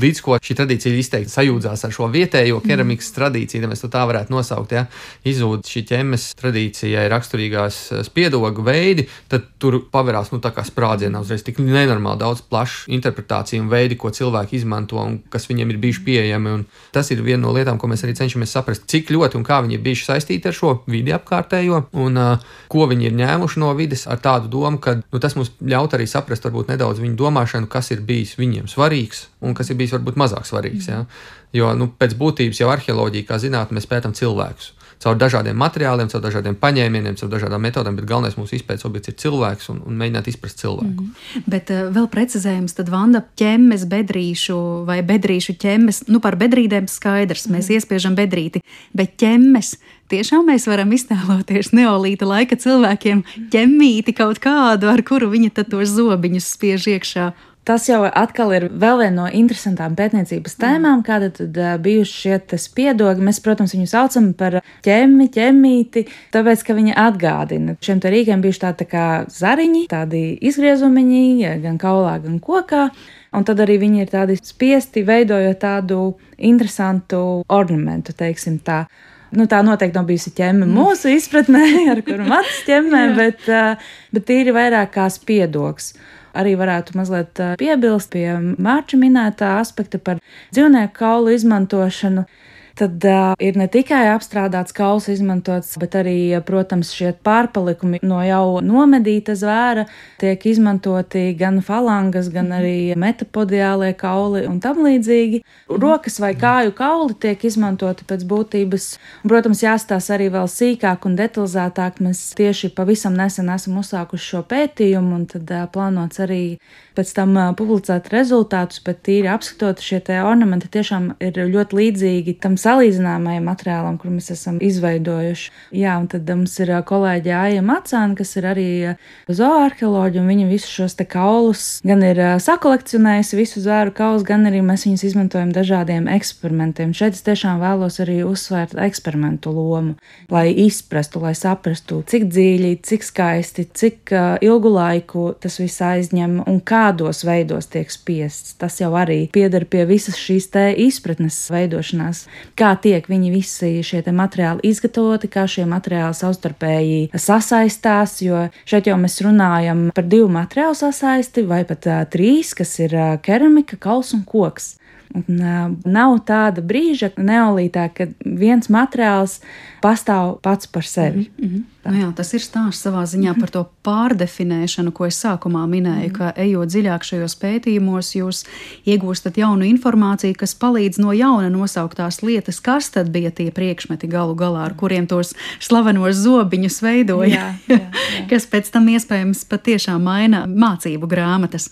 līdz ko šī tradīcija izteikti sajūdzās ar šo vietējo keramikas mm. tradīciju, ja mēs to tā varētu nosaukt, ja, izzūd šī ķemes tradīcijai raksturīgās spiedogu veidi, tad tur paverās, nu, tā kā sprādzienā uzreiz tik nenormāli daudz plašu interpretāciju un veidi, ko cilvēki izmanto un kas viņiem ir bijuši pieejami. Un tas ir viena no lietām, ko mēs arī cenšamies saprast, cik ļoti un kā viņi ir bijuši saistīti ar šo vidi apkārtējo un uh, ko viņi ir ņēmuši no vides ar tādu domu, ka nu, tas mums ļaut arī saprast varbūt nedaudz viņu domāšanu, kas ir bijis viņiem svarīgs un kas ir bijis varbūt mazāk svarīgs. Ja? Jo nu, pēc būtības jau arheoloģija, kā zinātne, mēs pētam cilvēkus. Caur dažādiem materiāliem, caur dažādiem paņēmieniem, caur dažādām metodēm, bet galvenais mūsu izpētes objekts ir cilvēks un, un mēģināt izprast cilvēku. Mm. Bet uh, vēl precizējums, tad Vanda ķemes bedrīšu vai bedrīšu ķemes, nu par bedrīdēm skaidrs, mm. mēs iespiežam bedrīti, bet ķemes, tiešām mēs varam iztēloties neolīta laika cilvēkiem ķemmīti kaut kādu, ar kuru viņi tad tos zobiņus spiež iekšā. Tas jau atkal ir vēl viena no interesantām pētniecības tēmām, kāda tad uh, bijuši šie te spiedogi. Mēs, protams, viņu saucam par ķemmi, ķemmīti, tāpēc, ka viņi atgādina. Šiem te rīkiem bijuši tādi tā kā zariņi, tādi izgriezumiņi, gan kaulā, gan kokā. Un tad arī viņi ir tādi spiesti, veidojot tādu interesantu ornamentu, teiksim tā. Nu, tā noteikti nav bijusi ķemme mūsu izpratnē, ar kuru matus ķemmē, bet, uh, bet tīri vairāk kā spiedogs. Arī varētu mazliet piebilst pie Mārča minētā aspekta par dzīvnieku kaulu izmantošanu. Tad uh, ir ne tikai apstrādāts kauls izmantots, bet arī, protams, šie pārpalikumi no jau nomedīta zvēra tiek izmantoti gan falangas, gan arī metapodiālie kauli un tam līdzīgi. Rokas vai kāju kauli tiek izmantoti pēc būtības. Un, protams, jāstās arī vēl sīkāk un detalizētāk. Mēs tieši pavisam nesen esam uzsākuši šo pētījumu, un tad uh, plānots arī pēc tam uh, publicēt rezultātus, bet tīri apskatot šie te ornamenti tiešām ir ļoti līdzīgi tam salīdzināmajam materiālam, kur mēs esam izveidojuši. Jā, un tad mums ir kolēģi Aija Macāna, kas ir arī zooarheoloģi, un viņa visus šos te kaulus gan ir sakolekcionējusi visu zvēru kaulus, gan arī mēs viņus izmantojam dažādiem eksperimentiem. Šeit es tiešām vēlos arī uzsvērt eksperimentu lomu, lai izprastu, lai saprastu, cik dziļi, cik skaisti, cik uh, ilgu laiku tas viss aizņem un kādos veidos tiek spiests. Tas jau arī pieder pie visas šīs te izpratnes veidošanās, kā tiek viņi visi šie te materiāli izgatavoti, kā šie materiāli savstarpēji sasaistās, jo šeit jau mēs runājam par divu materiālu sasaisti vai pat uh, trīs, kas ir uh, keramika, kauls un koks. Un, uh, nav tāda brīža neolītā, kad viens materiāls pastāv pats par sevi. Mm-hmm. Nu jā, tas ir stāsts savā ziņā par to pārdefinēšanu, ko es sākumā minēju, mm. ka ejot dziļāk šajos pētījumos, jūs iegūstat jaunu informāciju, kas palīdz no jauna nosaukt tās lietas, kas tad bija tie priekšmeti galu galā, ar kuriem tos slavenos zobiņus veidoja, jā, jā, jā. Kas pēc tam iespējams patiešām maina mācību grāmatas.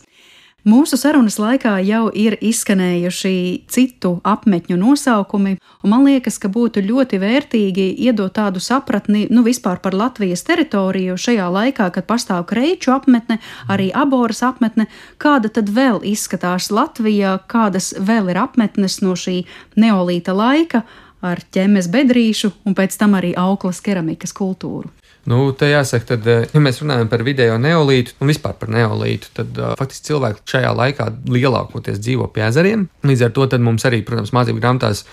Mūsu sarunas laikā jau ir izskanējuši citu apmetņu nosaukumi, un man liekas, ka būtu ļoti vērtīgi iedot tādu sapratni, nu vispār par Latvijas teritoriju šajā laikā, kad pastāv Kreiču apmetne, arī Aboras apmetne, kāda tad vēl izskatās Latvijā, kādas vēl ir apmetnes no šī neolīta laika ar ķemes bedrīšu un pēc tam arī auklas keramikas kultūru. Nu, te jāsaka, tad, ja mēs runājam par vidējo neolītu un vispār par neolītu, tad uh, faktiski cilvēki šajā laikā lielākoties dzīvo pie ezeriem. Līdz ar to tad mums arī, protams, mācību grāmatās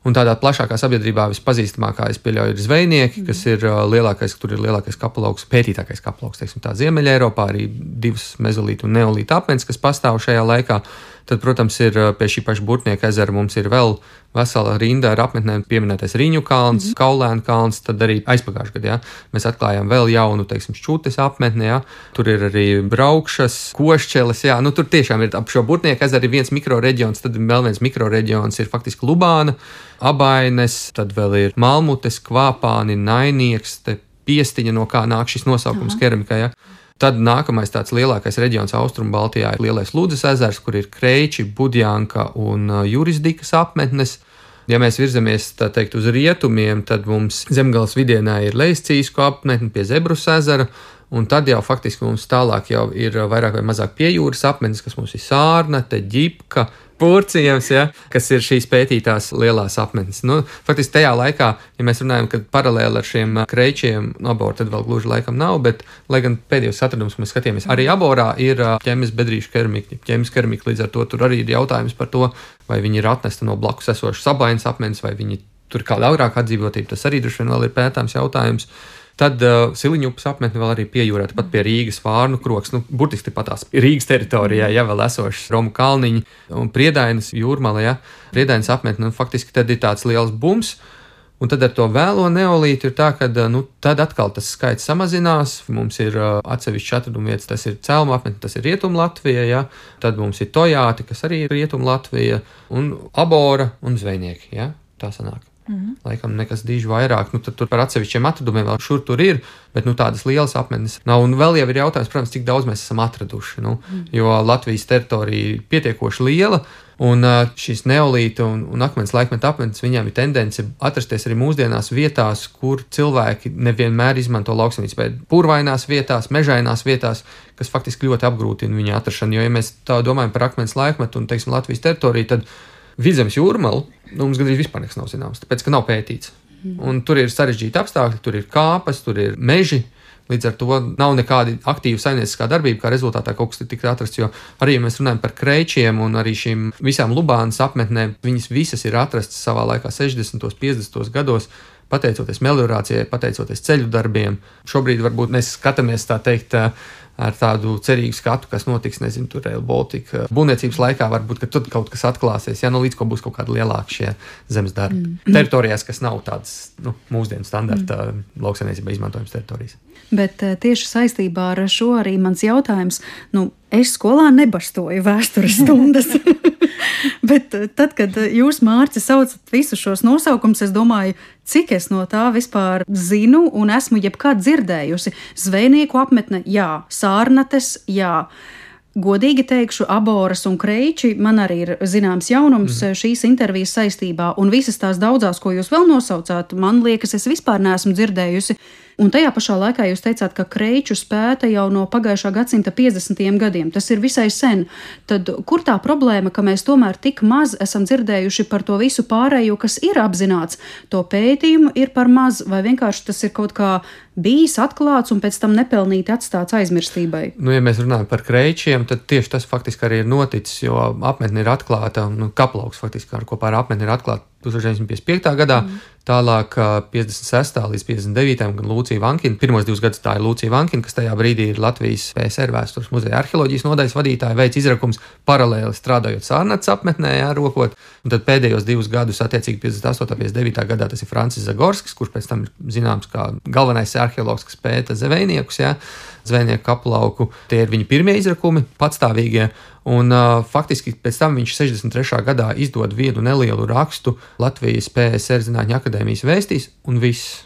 un tādā plašākā sabiedrībā vispazīstamākā, es pieļauju, ir zvejnieki, mm. kas ir uh, lielākais, tur ir lielākais kapelauks, pētītākais kapelauks, teiksim tā, Ziemeļa Eiropā, arī divas mezolītu un neolīta apmetnes, kas pastāv šajā laikā. Tad, protams, ir pie šī paša Burtnieka ezera mums ir vēl vesela rinda ar apmetnēm pieminētais Riņu kalns, mm. Kaulēnu kalns, tad arī aizpagājušajā gadā, jā, mēs atklājām vēl jaunu, teiksim, Šķutes apmetni, jā, tur ir arī Braukšas, Košķeles, jā, nu tur tiešām ir ap šo Burtnieka ezeru ir viens mikroreģions, tad vēl viens mikroreģions ir faktiski Lubāna, Abaines, tad vēl ir Malmutes, Kvāpāni, Nainieks, te Piestiņa, no kā nāk šis nosaukums keramikā, jā. Tad nākamais tāds lielākais reģions Austrumu Baltijā ir Lielais Ludzas ezers, kur ir Kreiči, Budjanka un Jurisdikas apmetnes. Ja mēs virzamies, tā teikt, uz rietumiem, tad mums Zemgales vidienā ir Leiscīsku apmetne pie Zebrus ezera, un tad jau faktiski mums tālāk jau ir vairāk vai mazāk piejūras apmetnes, kas mums ir Sārnate, Ģipka, Purcijams, ja, kas ir šīs pētītās lielās apmetnes. Nu, faktiski tajā laikā, ja mēs runājam, ka paralēli ar šiem Kreičiem Abora tad vēl gluži laikam nav, bet, lai gan pēdējos atradumus mēs skatījāmies, arī Aborā ir ķemes bedrīšu keramika. Ķemes keramika, līdz ar to tur arī ir jautājums par to, vai viņi ir atnesta no blakus esošas Abainas apmetnes, vai viņi tur kāda agrāk atdzīvotība, tas arī droši vien vēl ir pētāms jautājums. Tad uh, Siliņupas apmetne vēl arī piejūrē, pat pie Rīgas Vārnu kroks, nu, burtiski pat tās Rīgas teritorijā, ja vēl esošas Romu kalniņi un Priedainas jūrmala, ja, Priedainas apmetne, nu, faktiski tad ir tāds liels bums, un tad ar to vēlo neolītu ir tā, ka, nu, tad atkal tas skaits samazinās, mums ir uh, atsevišķi atraduma vietas, tas ir Celma apmetne, tas ir Rietum Latvija, ja, tad mums ir Tojāti, kas arī ir Rietum Latvija, un Abora un Zvejnieki, ja, tā sanāk. Mm-hmm. Laikam nekas diži vairāk, nu tad tur par atsevišķiem atradumiem vēl šur tur ir, bet nu tādas lielas apmetnes nav, un vēl jau ir jautājums, protams, cik daudz mēs esam atraduši, nu, mm. jo Latvijas teritorija ir pietiekoši liela, un šīs neolīta un, un akmens laikmeta apmetnes, viņām ir tendence atrasties arī mūsdienās vietās, kur cilvēki nevienmēr izmanto lauksaimniecību, bet purvainās vietās, mežainās vietās, kas faktiski ļoti apgrūtina viņa atrašanu, jo ja mēs tā domājam par akmens laikmetu un, teiksim, Latvijas teritoriju, tad Vidzemes jūrmalu, nu, mums gandrīz vispār nekas nav zināms, tāpēc, ka nav pētīts. Mm. Un tur ir sarežģīti apstākļi, tur ir kāpas, tur ir meži, līdz ar to nav nekāda aktīva saimnieciskā darbība, kā rezultātā kaut kas tika atrasts, jo arī, ja mēs runājam par Kreičiem un arī šīm visām Lubānas apmetnēm, viņas visas ir atrastas savā laikā sešdesmitos, piecdesmitos gados, pateicoties meliorācijai, pateicoties ceļu darbiem. Šobrīd varbūt mēs skatāmies, tā teikt, ar tādu cerīgu skatu, kas notiks, nezinu, tur Rail Baltica būvniecības laikā, varbūt, ka tur kaut kas atklāsies, ja nu līdz ko būs kaut kāda lielāka šie zemes darbi. Mm. Teritorijās, kas nav tādas, nu, mūsdienu standarta mm. lauksaimniecībā izmantojums teritorijas. Bet tieši saistībā ar šo arī mans jautājums, nu, es skolā nebarstoju vēstures stundas, bet tad, kad jūs, Mārci, saucat visus šos nosaukumus, es domāju, cik es no tā vispār zinu un esmu jebkad dzirdējusi. Zvejnieku apmetne, jā, Sārnates, jā. godīgi teikšu, aboras un kreiči man arī ir zināms jaunums mm. šīs intervijas saistībā, un visas tās daudzās, ko jūs vēl nosaucāt, man liekas, es vispār neesmu dzirdējusi. Un tajā pašā laikā jūs teicāt, ka kreiču spēta jau no pagājušā gadsimta piecdesmitajiem gadiem. Tas ir visai sen. Tad kur tā problēma, ka mēs tomēr tik maz esam dzirdējuši par to visu pārējo, kas ir apzināts? To pētījumu ir par maz, vai vienkārši tas ir kaut kā bijis atklāts un pēc tam nepelnīti atstāts aizmirstībai? Nu, ja mēs runājam par kreičiem, tad tieši tas faktiski arī ir noticis, jo apmetne ir atklāta, nu, kaplauks faktiski ar kopā ar apmetni ir atklāta tūkstoš deviņsimt piecdesmit piektajā gadā, mm. tālāk piecdesmit sestajā līdz piecdesmit devītajam gan Lūcija Vankina. Pirmos divus gadus tā ir Lūcija Vankina, kas tajā brīdī ir Latvijas P S R vēstures muzeja arheoloģijas nodaļas vadītāja, veids izrakums paralēli strādājot Sārnats apmetnē, jā, rokot. Un tad pēdējos divus gadus, attiecīgi piecdesmit astotajā, piecdesmit devītajā gadā, tas ir Francis Zagorskis, kurš pēc tam ir zināms kā galvenais arheologs, kas pēta zvejniekus, jā, zvejnieku kaplauku. Tie ir viņa pirmie izrakumi, patstāvīgie. Un uh, faktiski pēc tam viņš sešdesmit trešajā gadā izdod vienu nelielu rakstu Latvijas P S R Zinātņu akadēmijas vēstīs, un viss.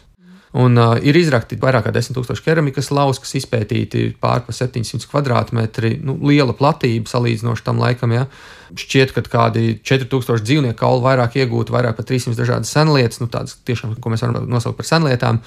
Un uh, ir izrakti vairāk kā desmit tūkstoši keramikas lauks, kas izpētīti pār pa septiņsimt kvadrātmetri, nu, liela platība salīdzinoši tam laikam, jā. Šķiet, ka kādi četri tūkstoši dzīvnieku kaulu vairāk iegūti, vairāk par trīssimt dažādas senlietas, nu tādas tiešām, ko mēs varam nosaukt par senlietām.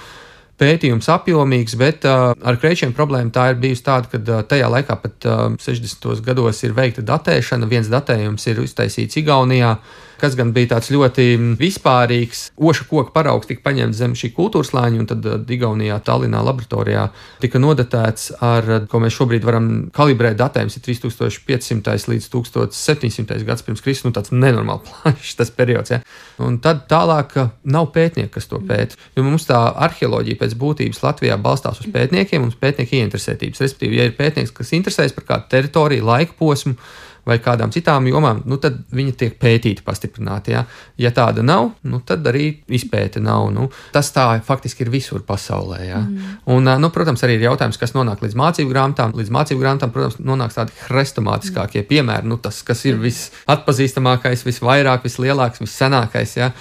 Pētījums apjomīgs, bet uh, ar kreičiem problēma tā ir bijusi tāda, ka uh, tajā laikā pat uh, sešdesmitajos gados ir veikta datēšana. Viens datējums ir iztaisīts Igaunijā, kas gan bija tāds ļoti vispārīgs. Oša koka paraugs tika paņemts zem šī kultūrslāņa, un tad uh, Igaunijā, Tallinā laboratorijā tika nodatēts ar, uh, ko mēs šobrīd varam kalibrēt, datējums ir trīs tūkstoši piecsimtais līdz septiņsimtais gads pirms Kristus, nu tāds nenormāli plašs tas periods, ja. Un tad tālāk uh, nav pētnieku, kas to pēta, jo mums tā arheoloģija pēc būtības Latvijā balstās uz pētniekiem un uz pētnieku ieinteresētības. Respektīvi, ja ir pētnieks, kas interesēs par kādu teritoriju, laika posmu vai kādām citām jomām, nu tad viņi tiek pētīti pastiprināti. Ja, ja tāda nav, nu tad arī izpēte nav. Nu, tas tā faktiski ir visur pasaulē. Ja. Mm. Un, nu, protams, arī ir jautājums, kas nonāk līdz mācību grāmatām. Līdz mācību grāmatām, protams, nonāks tādi hrestomātiskākie piemēri. Nu, tas, kas ir visatpazīstamākais, visvairāk, vislielāks, vissenākais. Ja.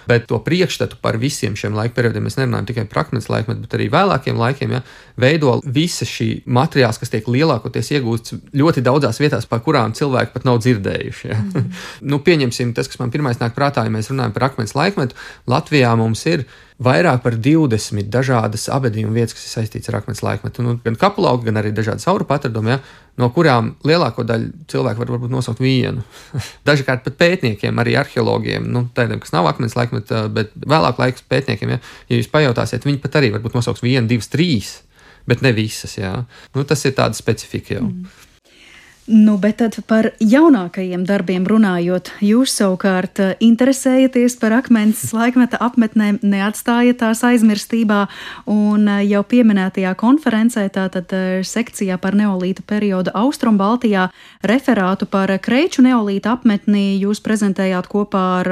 Bet to priekšstatu par visiem šiem laika periodiem mēs nerunājam tikai par akmens laikmetu, bet arī vēlākiem laikiem, ja, veido visa šī materiāls, kas tiek lielākoties iegūsts ļoti daudzās vietās, par kurām cilvēki pat nav dzirdējuši. Ja. Mm. Nu, pieņemsim tas, kas man pirmais nāk prātā, ja mēs runājam par akmens laikmetu. Latvijā mums ir vairāk par divdesmit dažādas abedījuma vietas, kas ir saistītas ar akmens laikmetu. Nu, gan kapulauki, gan arī dažādas aurupu atradumi, ja, no kurām lielāko daļu cilvēku var varbūt nosaukt vienu. Dažkārt pat pētniekiem, arī arheologiem, nu, tādiem, kas nav akmens laikmeta, bet vēlāk laiks pētniekiem, ja, ja jūs pajautāsiet, viņi pat arī varbūt nosauks vienu, divas, trīs, bet ne visas. Ja. Nu, tas ir tāda specifika jau. Mm. Nu, bet tad par jaunākajiem darbiem runājot, jūs savukārt interesējaties par akmens laikmeta apmetnēm, neatstājat tās aizmirstībā, un jau pieminētajā konferencē, tātad sekcijā par neolīta periodu Austrumbaltijā, referātu par kreiču neolīta apmetnī jūs prezentējāt kopā ar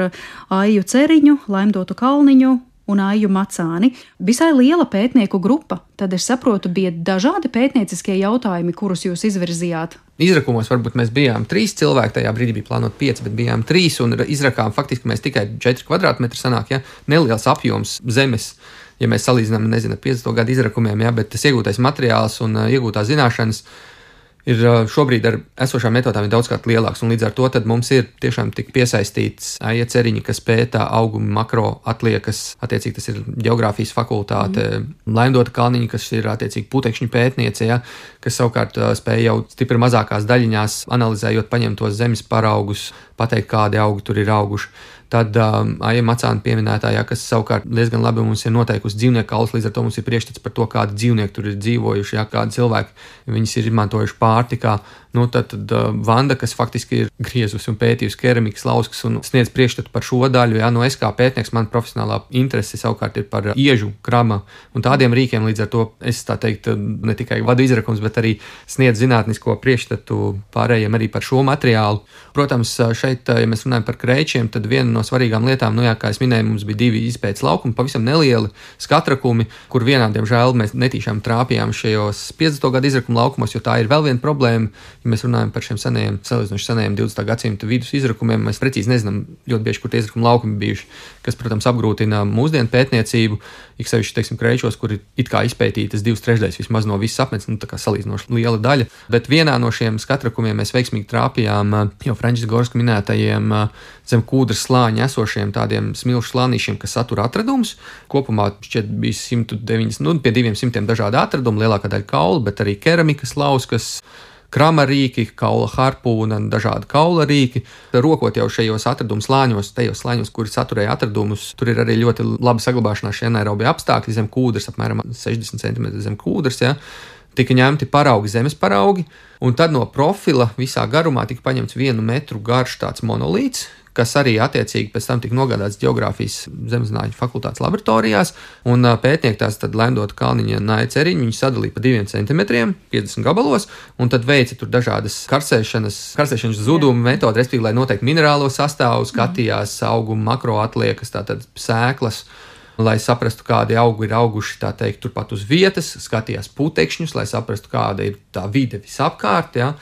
Aiju Ceriņu, Laimdotu Kalniņu un Aiju Macāni. Visai liela pētnieku grupa, tad es saprotu, bija dažādi pētnieciskie jautājumi, kurus jūs izvirzījāt. Izrakumos varbūt mēs bijām trīs cilvēki, tajā brīdī bija plānot pieci, bet bijām trīs, un izrakām faktiski mēs tikai četri kvadrātmetri sanāk, ja, neliels apjoms zemes, ja mēs salīdzinām, nezinu, piecdesmito gadu izrakumiem, ja, bet tas iegūtais materiāls un uh, iegūtās zināšanas ir šobrīd ar esošām metodām daudzkārt lielāks, un līdz ar to tad mums ir tiešām tik piesaistīts Aija Ceriņa, kas pētā augumu makro atliekas, attiecīgi tas ir ģeogrāfijas fakultāte, mm. Laimdota Kalniņa, kas ir attiecīgi putekšņu pētniece, ja, kas savukārt spēja jau stipri mazākās daļiņās, analizējot paņemtos zemes paraugus, pateikt, kādi augi tur ir auguši. Tad um, Aija Macāna pieminētājā, kas savukārt diezgan labi mums ir noteikusi dzīvnieku kaulus, līdz ar to mums ir priekšstats par to, kādi dzīvnieki tur ir dzīvojuši, ja, kādi cilvēki viņus ir izmantojuši pārtikā. Nu, tad, tad uh, Vanda, kas faktiski ir griezusi un pētījusi keramikas lauskas un sniedz priekšstatu par šo daļu, ja, no es kā pētnieks, man profesionālā interese savukārt ir par iežu, krama un tādiem rīkiem, līdz ar to es tā teikt ne tikai vadu izrakums, bet arī sniedz zinātnisko priekšstatu pārējiem arī par šo materiālu. Protams, šeit, ja mēs runājam par kreičiem, tad viena no svarīgām lietām, nu jā, kā es minēju, mums bija divi izpētes laukumi, pavisam nelieli skatrakumi, kur vienā, diemžēl, mēs netīšām trāpījām šajos piecdesmito gadu izrakuma laukumos, jo tā ir vēl viena problēma. Ja mēs runājam par šiem senajiem, salīdzinoši senajiem divdesmitā gadsimta vidus izrakumiem, mēs precīzi nezinām ļoti bieži, kur tie izrakuma laukumi bijuši, kas, protams, apgrūtina mūsdienu pētniecību, ik sevišķi, teiksim, Kreičos, kur ir it kā izpētītas divas trešdaļas vismaz no visas apmetnes, nu tā kā salīdzinoši liela daļa, bet vienā no šiem skatrakumiem mēs veiksmīgi trāpījām jau Frančiska Gorska minētajiem zem kūdras slāņa esošiem tādiem smilšu slānīšiem, kas satura atradumus. Kopumā šķiet bija simt deviņdesmit, nu, pie diviem simtiem dažādi atradumi, lielākā daļa kaula, bet arī keramikas lauskas, krama rīki, kaula harpūna, dažādi kaula rīki. Rokot jau šajos atradumu slāņos, tajos slāņos, kuri saturēja atradumus, tur ir arī ļoti labi saglabāšanās šie anaerobie apstākļi zem kūdras, apmēram sešdesmit centimetri zem kūdras, ja. Tika ņemti paraugi, zemes paraugi, un tad no profila visā garumā tika paņemts vienu metru garš tāds monolīts, kas arī attiecīgi pēc tam tika nogādāts Ģeogrāfijas Zemezinātņu fakultātes laboratorijās, un pētnieki tās tad Lendota Kalniņa Naja Ceriņa viņi sadalīja pa diviem centimetriem, piecdesmit gabalos, un tad veica tur dažādas karsēšanas, karsēšanas zuduma metodi, respektīvi, lai noteikti minerālo sastāvu, skatījās auguma makroatliekas, tātad sēklas, lai saprastu, kādi augi ir auguši, tā teikt, turpat uz vietas, skatījās putekšņus, lai saprastu, kāda ir tā vide visapkārt, ja.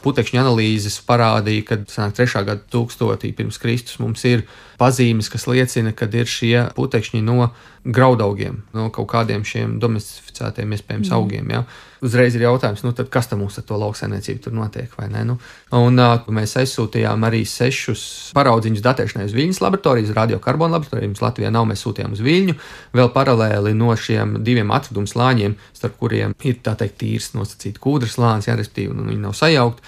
Putekšņu analīzes parādīja, ka sanāk trešā gada tūkstotī pirms Kristus mums ir pazīmes, kas liecina, ka ir šie putekšņi no graudaugiem, no kaut kādiem šiem domestificētiem iespējams mm. augiem, ja. Uzreiz ir jautājums, nu tad kas tam mums ar to lauksaimniecību tur notiek, vai ne? Nu, un uh, mēs aizsūtījām arī sešus paraudziņus datēšanai uz Viļņas laboratoriju, uz radiokarbonu laboratoriju, mums Latvijā nav, mēs sūtījām uz Viļņu, vēl paralēli no šiem diviem atradumu slāņiem, starp kuriem ir, tā teikt, tīrs nosacīt kūdras slānis, jā, respektīvi, nu, viņi nav sajaukt.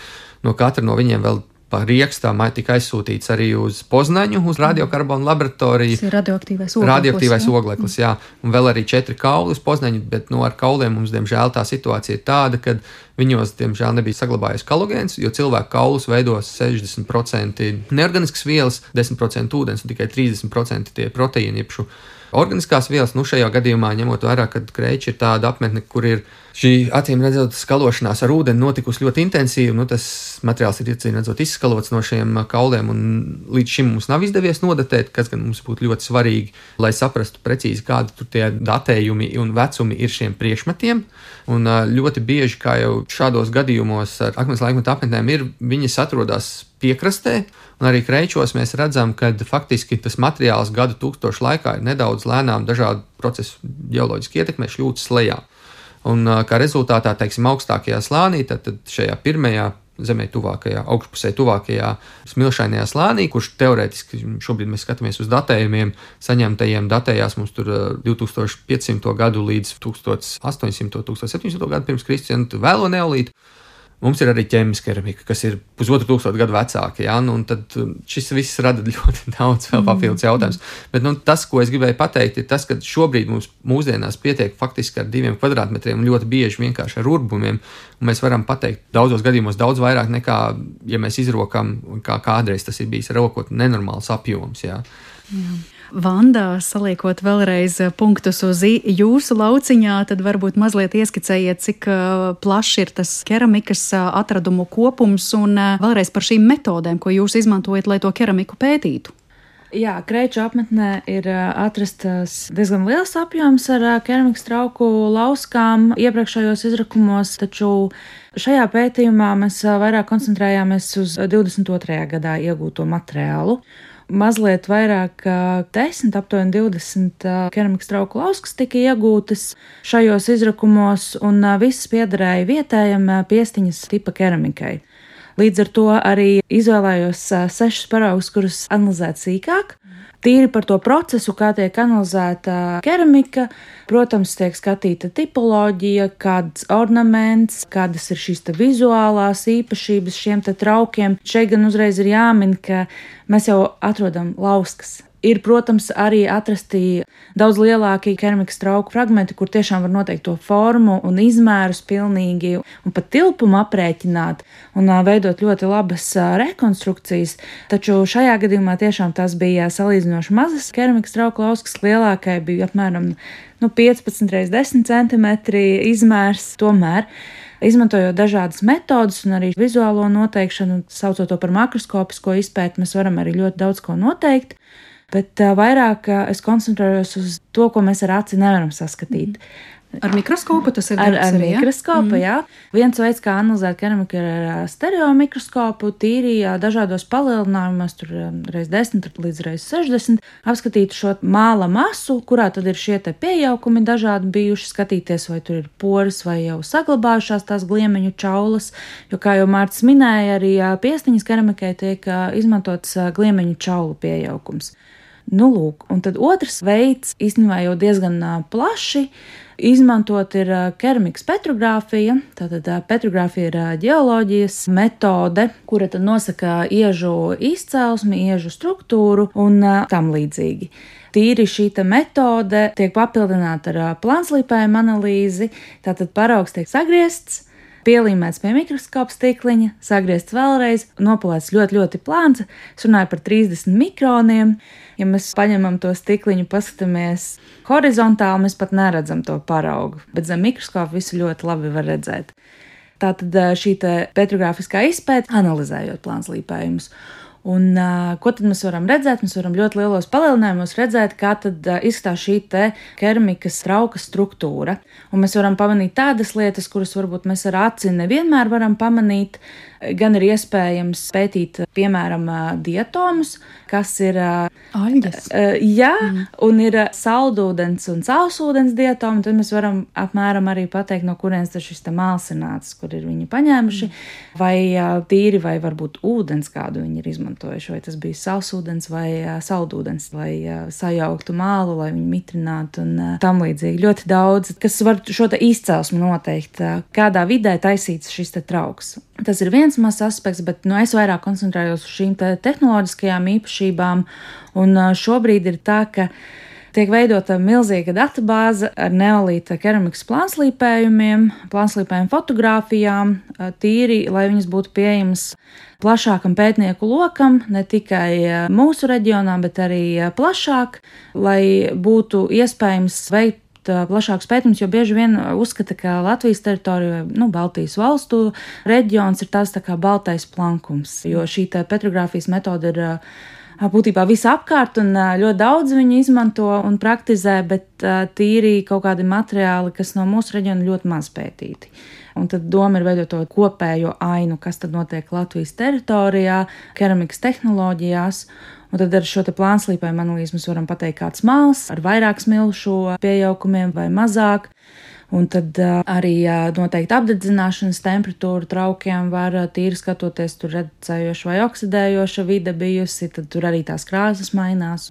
No katra no viņiem vēl pa riekstām tika aizsūtīts arī uz Poznaņu, uz radiokarbonu laboratoriju. Tas ir radioaktīvais ogleklis. Radioaktīvais ogleklis, jā. Un vēl arī četri kauli uz Poznaņu, bet no ar kauliem mums, diemžēl, tā situācija ir tāda, ka viņos, diemžēl, nebija saglabājies kalogēns, jo cilvēku kaulus veidos sešdesmit procenti neorganiskas vielas, desmit procenti ūdens un tikai trīsdesmit procenti tie proteīni, jebšu organiskās vielas. Nu, šajā gadījumā, ņemot vērā, ka Kreiči ir tāda apmetne, kur ir šī acīm redzot skalošanās ar ūdeni notikusi ļoti intensīvi, nu, tas materiāls ir acīm redzot izskalots no šiem kauliem, un līdz šim mums nav izdevies nodatēt, kas gan mums būtu ļoti svarīgi, lai saprastu precīzi, kādi tur tie datējumi un vecumi ir šiem priekšmetiem. Un ļoti bieži, kā jau šādos gadījumos ar akmens laikmeta apmetnēm ir, viņas atrodas piekrastē, un arī Kreičos mēs redzam, ka faktiski tas materiāls gadu tūkstošu laikā ir nedaudz lēnām dažādu procesu ģeoloģiski ietekmē šļūtas lejā. Un kā rezultātā, teiksim, augstākajā slānī, tad, tad šajā pirmajā zemē tuvākajā, augšpusē tuvākajā smilšainajā slānī, kurš teorētiski šobrīd mēs skatāmies uz datējumiem, saņemtajiem datējās mums tur divtūkstoš piecsimto gadu līdz tūkstoš astoņsimto, tūkstoš septiņsimto gadu pirms Kristus, un vēlo neolītu. Mums ir arī ķēmiska keramika, kas ir pusotru tūkstošu gadu vecāka, ja? Nu, un tad šis viss rada ļoti daudz vēl papildus jautājums. Bet nu, tas, ko es gribēju pateikt, ir tas, ka šobrīd mums mūsdienās pietiek faktiski ar diviem kvadrātmetriem un ļoti bieži vienkārši ar urbumiem, un mēs varam pateikt daudzos gadījumos daudz vairāk nekā, ja mēs izrokam, kā kādreiz tas ir bijis rokot nenormāls apjoms, jā. Jā. Vanda, saliekot vēlreiz punktus uz jūsu lauciņā, tad varbūt mazliet ieskicējiet, cik plašs ir tas keramikas atradumu kopums un vēlreiz par šīm metodēm, ko jūs izmantojat, lai to keramiku pētītu. Jā, Kreiču apmetnē ir atrastas diezgan liels apjoms ar keramikas trauku lauskām iepriekšējos izrakumos, taču šajā pētījumā mēs vairāk koncentrējāmies uz divdesmit otrajā gadā iegūto materiālu. Mazliet vairāk desmit, aptuveni divdesmit keramikas trauku lauskas tika iegūtas šajos izrakumos, un visas piederēja vietējam Piestiņas tipa keramikai. Līdz ar to arī izvēlējos sešus paraugus, kurus analizēt sīkāk. Tīri par to procesu, kā tiek analizēta keramika, protams, tiek skatīta tipoloģija, kāds ornaments, kādas ir šīs te vizuālās īpašības šiem te traukiem. Šeit gan uzreiz ir jāmin, ka mēs jau atrodam lauskas. Ir, protams, arī atrasti daudz lielāki keramikas trauku fragmenti, kur tiešām var noteikt to formu un izmērus pilnīgi un pat tilpumu aprēķināt un veidot ļoti labas rekonstrukcijas. Taču šajā gadījumā tiešām tas bija salīdzinoši mazas keramikas trauku lauskas, lielākai bija apmēram nu, piecpadsmit reiz desmit centimetri izmērs. Tomēr Izmantojot dažādas metodas un arī vizuālo noteikšanu, saucot to par makroskopisko izpēti, mēs varam arī ļoti daudz ko noteikt, bet vairāk es koncentrējos uz to, ko mēs ar aci nevaram saskatīt. Ar mikroskopu tas ir ar, darbs ar arī, ja? mikroskopu, mm. jā. Viens veids, kā analizēt keramiku, ir ar stereo mikroskopu, tīri dažādos palielinājumos, tur reiz desmit līdz reiz sešdesmit, apskatīt šo māla masu, kurā tad ir šie te piejaukumi dažādi bijuši, skatīties, vai tur ir poras vai jau saglabājušās tās gliemeņu čaulas, jo, kā jau Mārcis minēja, arī piestiņas keramikai tiek izmantots gliemeņu čaulu piejaukums. Nu, lūk, un tad otrs veids, īstenībā jau diezgan plaši, izmantot ir keramikas petrogrāfija. Tātad petrogrāfija ir ģeoloģijas metode, kura tad nosaka iežu izcelsmi, iežu struktūru un tam līdzīgi. Tīri šī metode tiek papildināta ar plānslīpējumu analīzi, tātad paraugs tiek sagriezts, pielīmēts pie mikroskopa stikliņa, sagriezts vēlreiz, nopulēts ļoti, ļoti plāns. Es runāju par trīsdesmit mikroniem. Ja mēs paņemam to stikliņu, paskatāmies horizontāli, mēs pat neredzam to paraugu, bet zem mikroskopa visu ļoti labi var redzēt. Tātad šī petrogrāfiskā izpēte, analizējot plānslīpējumus. Un, uh, ko tad mēs varam redzēt? Mēs varam ļoti lielos palielinājumos redzēt, kā tad uh, izskatās šī te keramikas trauka struktūra. Un mēs varam pamanīt tādas lietas, kuras varbūt mēs ar aci nevienmēr varam pamanīt. Gan ir iespējams pētīt, piemēram, diatomus, kas ir aļģes. Uh, jā, mm. un ir saldūdens un causūdens diatomi. Tad mēs varam apmēram arī pateikt, no kurienes tas šis te māls ir nācis, kur ir viņi paņēmuši, mm. vai uh, tīri, vai varbūt ūdens, kādu viņi ir izmantojuši, vai tas bija sausūdens vai uh, saldūdens, lai uh, sajauktu mālu, lai viņu mitrinātu un uh, tam līdzīgi. Ļoti daudz, kas var šo te izcelsmi noteikt, uh, kādā vidē taisīts šis te trauks. Tas ir viens mazs aspekts, bet nu, es vairāk koncentrējos uz šīm te tehnoloģiskajām īpašībām, un šobrīd ir tā, ka tiek veidota milzīga databāze ar neolīta keramikas plānslīpējumiem, plānslīpējumu fotogrāfijām, tīri, lai viņas būtu pieejamas plašākam pētnieku lokam, ne tikai mūsu reģionā, bet arī plašāk, lai būtu iespējams veikt plašāks pētījums, jo bieži vien uzskata, ka Latvijas teritorija, nu, Baltijas valstu reģions ir tās tā kā baltais plankums, jo šī petrogrāfijas metode ir būtībā visapkārt un ļoti daudz viņu izmanto un praktizē, bet tīri kaut kādi materiāli, kas no mūsu reģiona ļoti maz pētīti. Un tad doma ir veidot to kopējo ainu, kas tad notiek Latvijas teritorijā, keramikas tehnoloģijās. Un tad ar šo te plānslīpējumu analīzi mēs varam pateikt, kāds māls ar vairāk smilšu piejaukumiem vai mazāk. Un tad uh, arī uh, noteikti apdedzināšanas temperatūra traukiem var uh, tīri skatoties, tur redzējoša vai oksidējoša vide bijusi, tad tur arī tās krāsas mainās.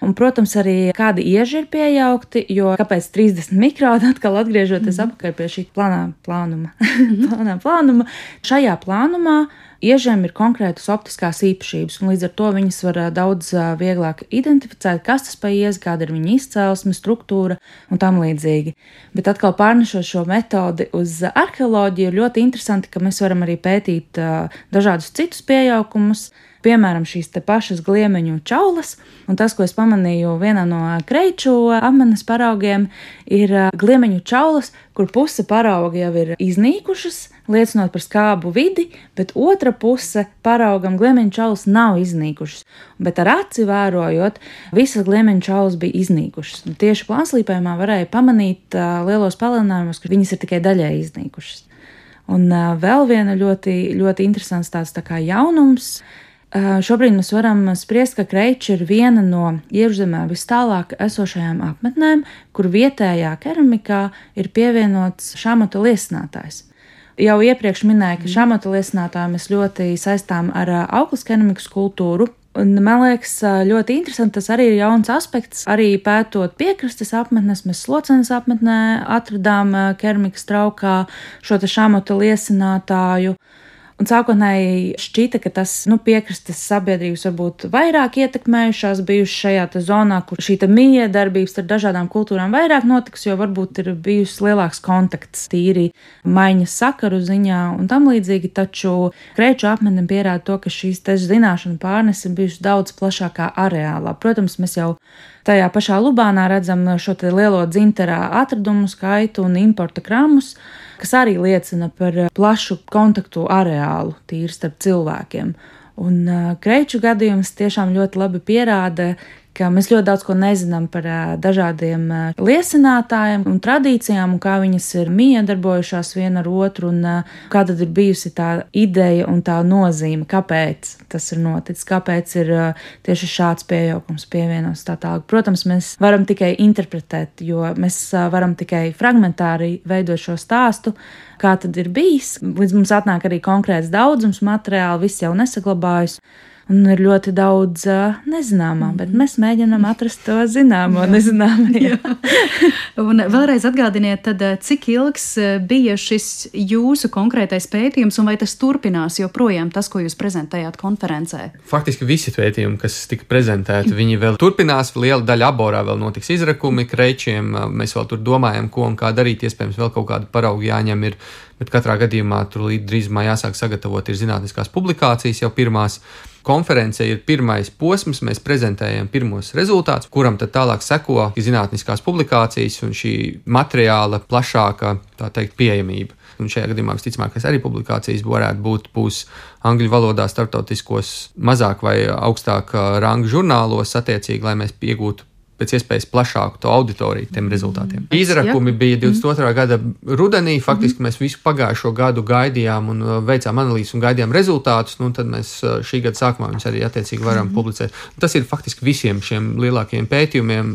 Un, protams, arī kādi ieži ir piejaukti, jo kāpēc trīsdesmit mikroni, atkal atgriežoties mm-hmm. apakaļ pie šī plānā plānuma. Mm-hmm. plānā plānuma. Šajā plānumā iežiem ir konkrētas optiskās īpašības, un līdz ar to viņas var daudz vieglāk identificēt, kas tas pa iezi, kāda ir viņa izcelsme, struktūra un tam līdzīgi. Bet atkal pārnešot šo metodi uz arheoloģiju, ir ļoti interesanti, ka mēs varam arī pētīt dažādus citus pieaukumus, piemēram, šīs te pašas gliemeņu čaulas, un tas, ko es pamanīju vienā no kreiču apmetnes paraugiem, ir gliemeņu čaulas, kur puse parauga jau ir iznīkušas, liecinot par skābu vidi, bet otra puse paraugam gliemeņu čaulas nav iznīkušas. Bet ar aci vērojot, visas gliemeņu čaulas bija iznīkušas. Un tieši plānslīpējumā varēja pamanīt uh, lielos palielinājumos, ka viņas ir tikai daļai iznīkušas. Un uh, vēl viena ļoti, ļoti interesants tāds tā kā jaunums. Šobrīd mēs varam spriest, ka kreiči ir viena no iekšzemē vis tālāk esošajām apmetnēm, kur vietējā keramikā ir pievienots šāmata liesinātājs. Jau iepriekš minēju, ka šāmata liesinātāju mēs ļoti saistām ar auklas keramikas kultūru. Un, man liekas, ļoti interesanti, tas arī ir jauns aspekts. Arī pētot piekrastes apmetnes, mēs Slocenes apmetnē atradām keramikas traukā šo te šāmata liesinātāju. Un sākotnēji šķita, ka tas nu, piekrastes sabiedrības varbūt vairāk ietekmējušās bijušas šajā zonā, kur šī miedarbības ar dažādām kultūrām vairāk notiks, jo varbūt ir bijusi lielāks kontakts tīri maiņas sakaru ziņā un tam līdzīgi, taču kreiču apmetne pierāda to, ka šīs te zināšanu pārnes ir bijušas daudz plašākā areālā. Protams, mēs jau tajā pašā Lubānā redzam šo te lielo dzinterā atradumu skaitu un importa kramus, kas arī liecina par plašu kontaktu areālu tīri starp cilvēkiem. Un uh, kreiču gadījums tiešām ļoti labi pierāda, ka mēs ļoti daudz ko nezinām par uh, dažādiem uh, liecinātājiem un tradīcijām, un kā viņas ir miedarbojušās viena ar otru, un uh, kā tad ir bijusi tā ideja un tā nozīme, kāpēc tas ir noticis, kāpēc ir uh, tieši šāds piejaukums pievienots tā tālāk. Protams, mēs varam tikai interpretēt, jo mēs uh, varam tikai fragmentāri veidot šo stāstu, kā tad ir bijis. Līdz mums atnāk arī konkrēts daudzums materiāli, viss jau nesaglabājas. Un ir ļoti daudz uh, nezināmā, bet mēs mēģinām atrast to zināmo, nezināmo. Un vēlreiz atgādiniet, tad, cik ilgs bija šis jūsu konkrētais pētījums, un vai tas turpinās joprojām tas, ko jūs prezentējāt konferencē? Faktiski visi pētījumi, kas tika prezentēti, viņi vēl turpinās. Liela daļa aborā vēl notiks izrakumi kreičiem. Mēs vēl tur domājam, ko un kā darīt. Iespējams, vēl kaut kādu paraugu jāņem ir, bet katrā gadījumā tur līdz drīzumā jāsāk sagatavot ir zinātniskās publikācijas jau pirmās. Konference ir pirmais posms, mēs prezentējam pirmos rezultātus, kuram tad tālāk seko zinātniskās publikācijas un šī materiāla plašāka, tā teikt, pieejamība. Un šajā gadījumā visticamākais arī publikācijas varētu būt būs angļu valodā starptautiskos mazāk vai augstāk ranga žurnālos attiecīgi, lai mēs iegūtu pēc iespējas plašāku to auditoriju tiem rezultātiem. Izrakumi bija divdesmit otrā gada rudenī, faktiski mēs visu pagājušo gadu gaidījām un veicām analīzes un gaidījām rezultātus, nu tad mēs šī gada sākumā viņus arī attiecīgi varam publicēt. Tas ir faktiski visiem šiem lielākajiem pētījumiem,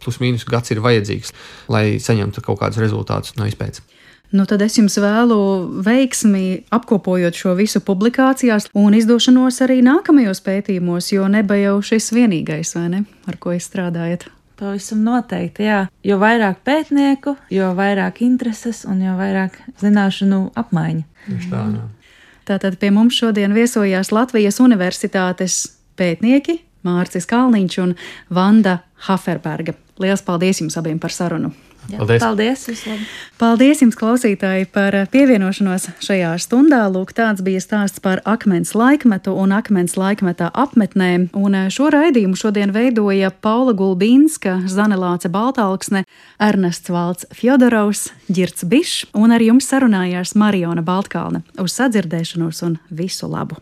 plus mīnus gads ir vajadzīgs, lai saņemtu kaut kādus rezultātus no izpētes. Nu, tad es jums vēlu veiksmi apkopojot šo visu publikācijās un izdošanos arī nākamajos pētījumos, jo neba jau šis vienīgais, vai ne, ar ko jūs strādājat? Pavisam noteikti, jā. Jo vairāk pētnieku, jo vairāk intereses un jo vairāk zināšanu apmaiņa. Tieši tā, jā. Tātad pie mums šodien viesojās Latvijas Universitātes pētnieki Mārcis Kalniņš un Vanda Haferberga. Lielas paldies jums abiem par sarunu! Jā, paldies! Paldies, vislabāk! Paldies jums, klausītāji, par pievienošanos šajā stundā. Lūk, tāds bija stāsts par akmens laikmetu un akmens laikmetā apmetnēm. Un šo raidījumu šodien veidoja Paula Gulbīnska, Zanelāce Baltalksne, Ernests Valds Fjodorovs, Ģirts Bišs un ar jums sarunājās Mariona Baltkalne. Uz sadzirdēšanos un visu labu!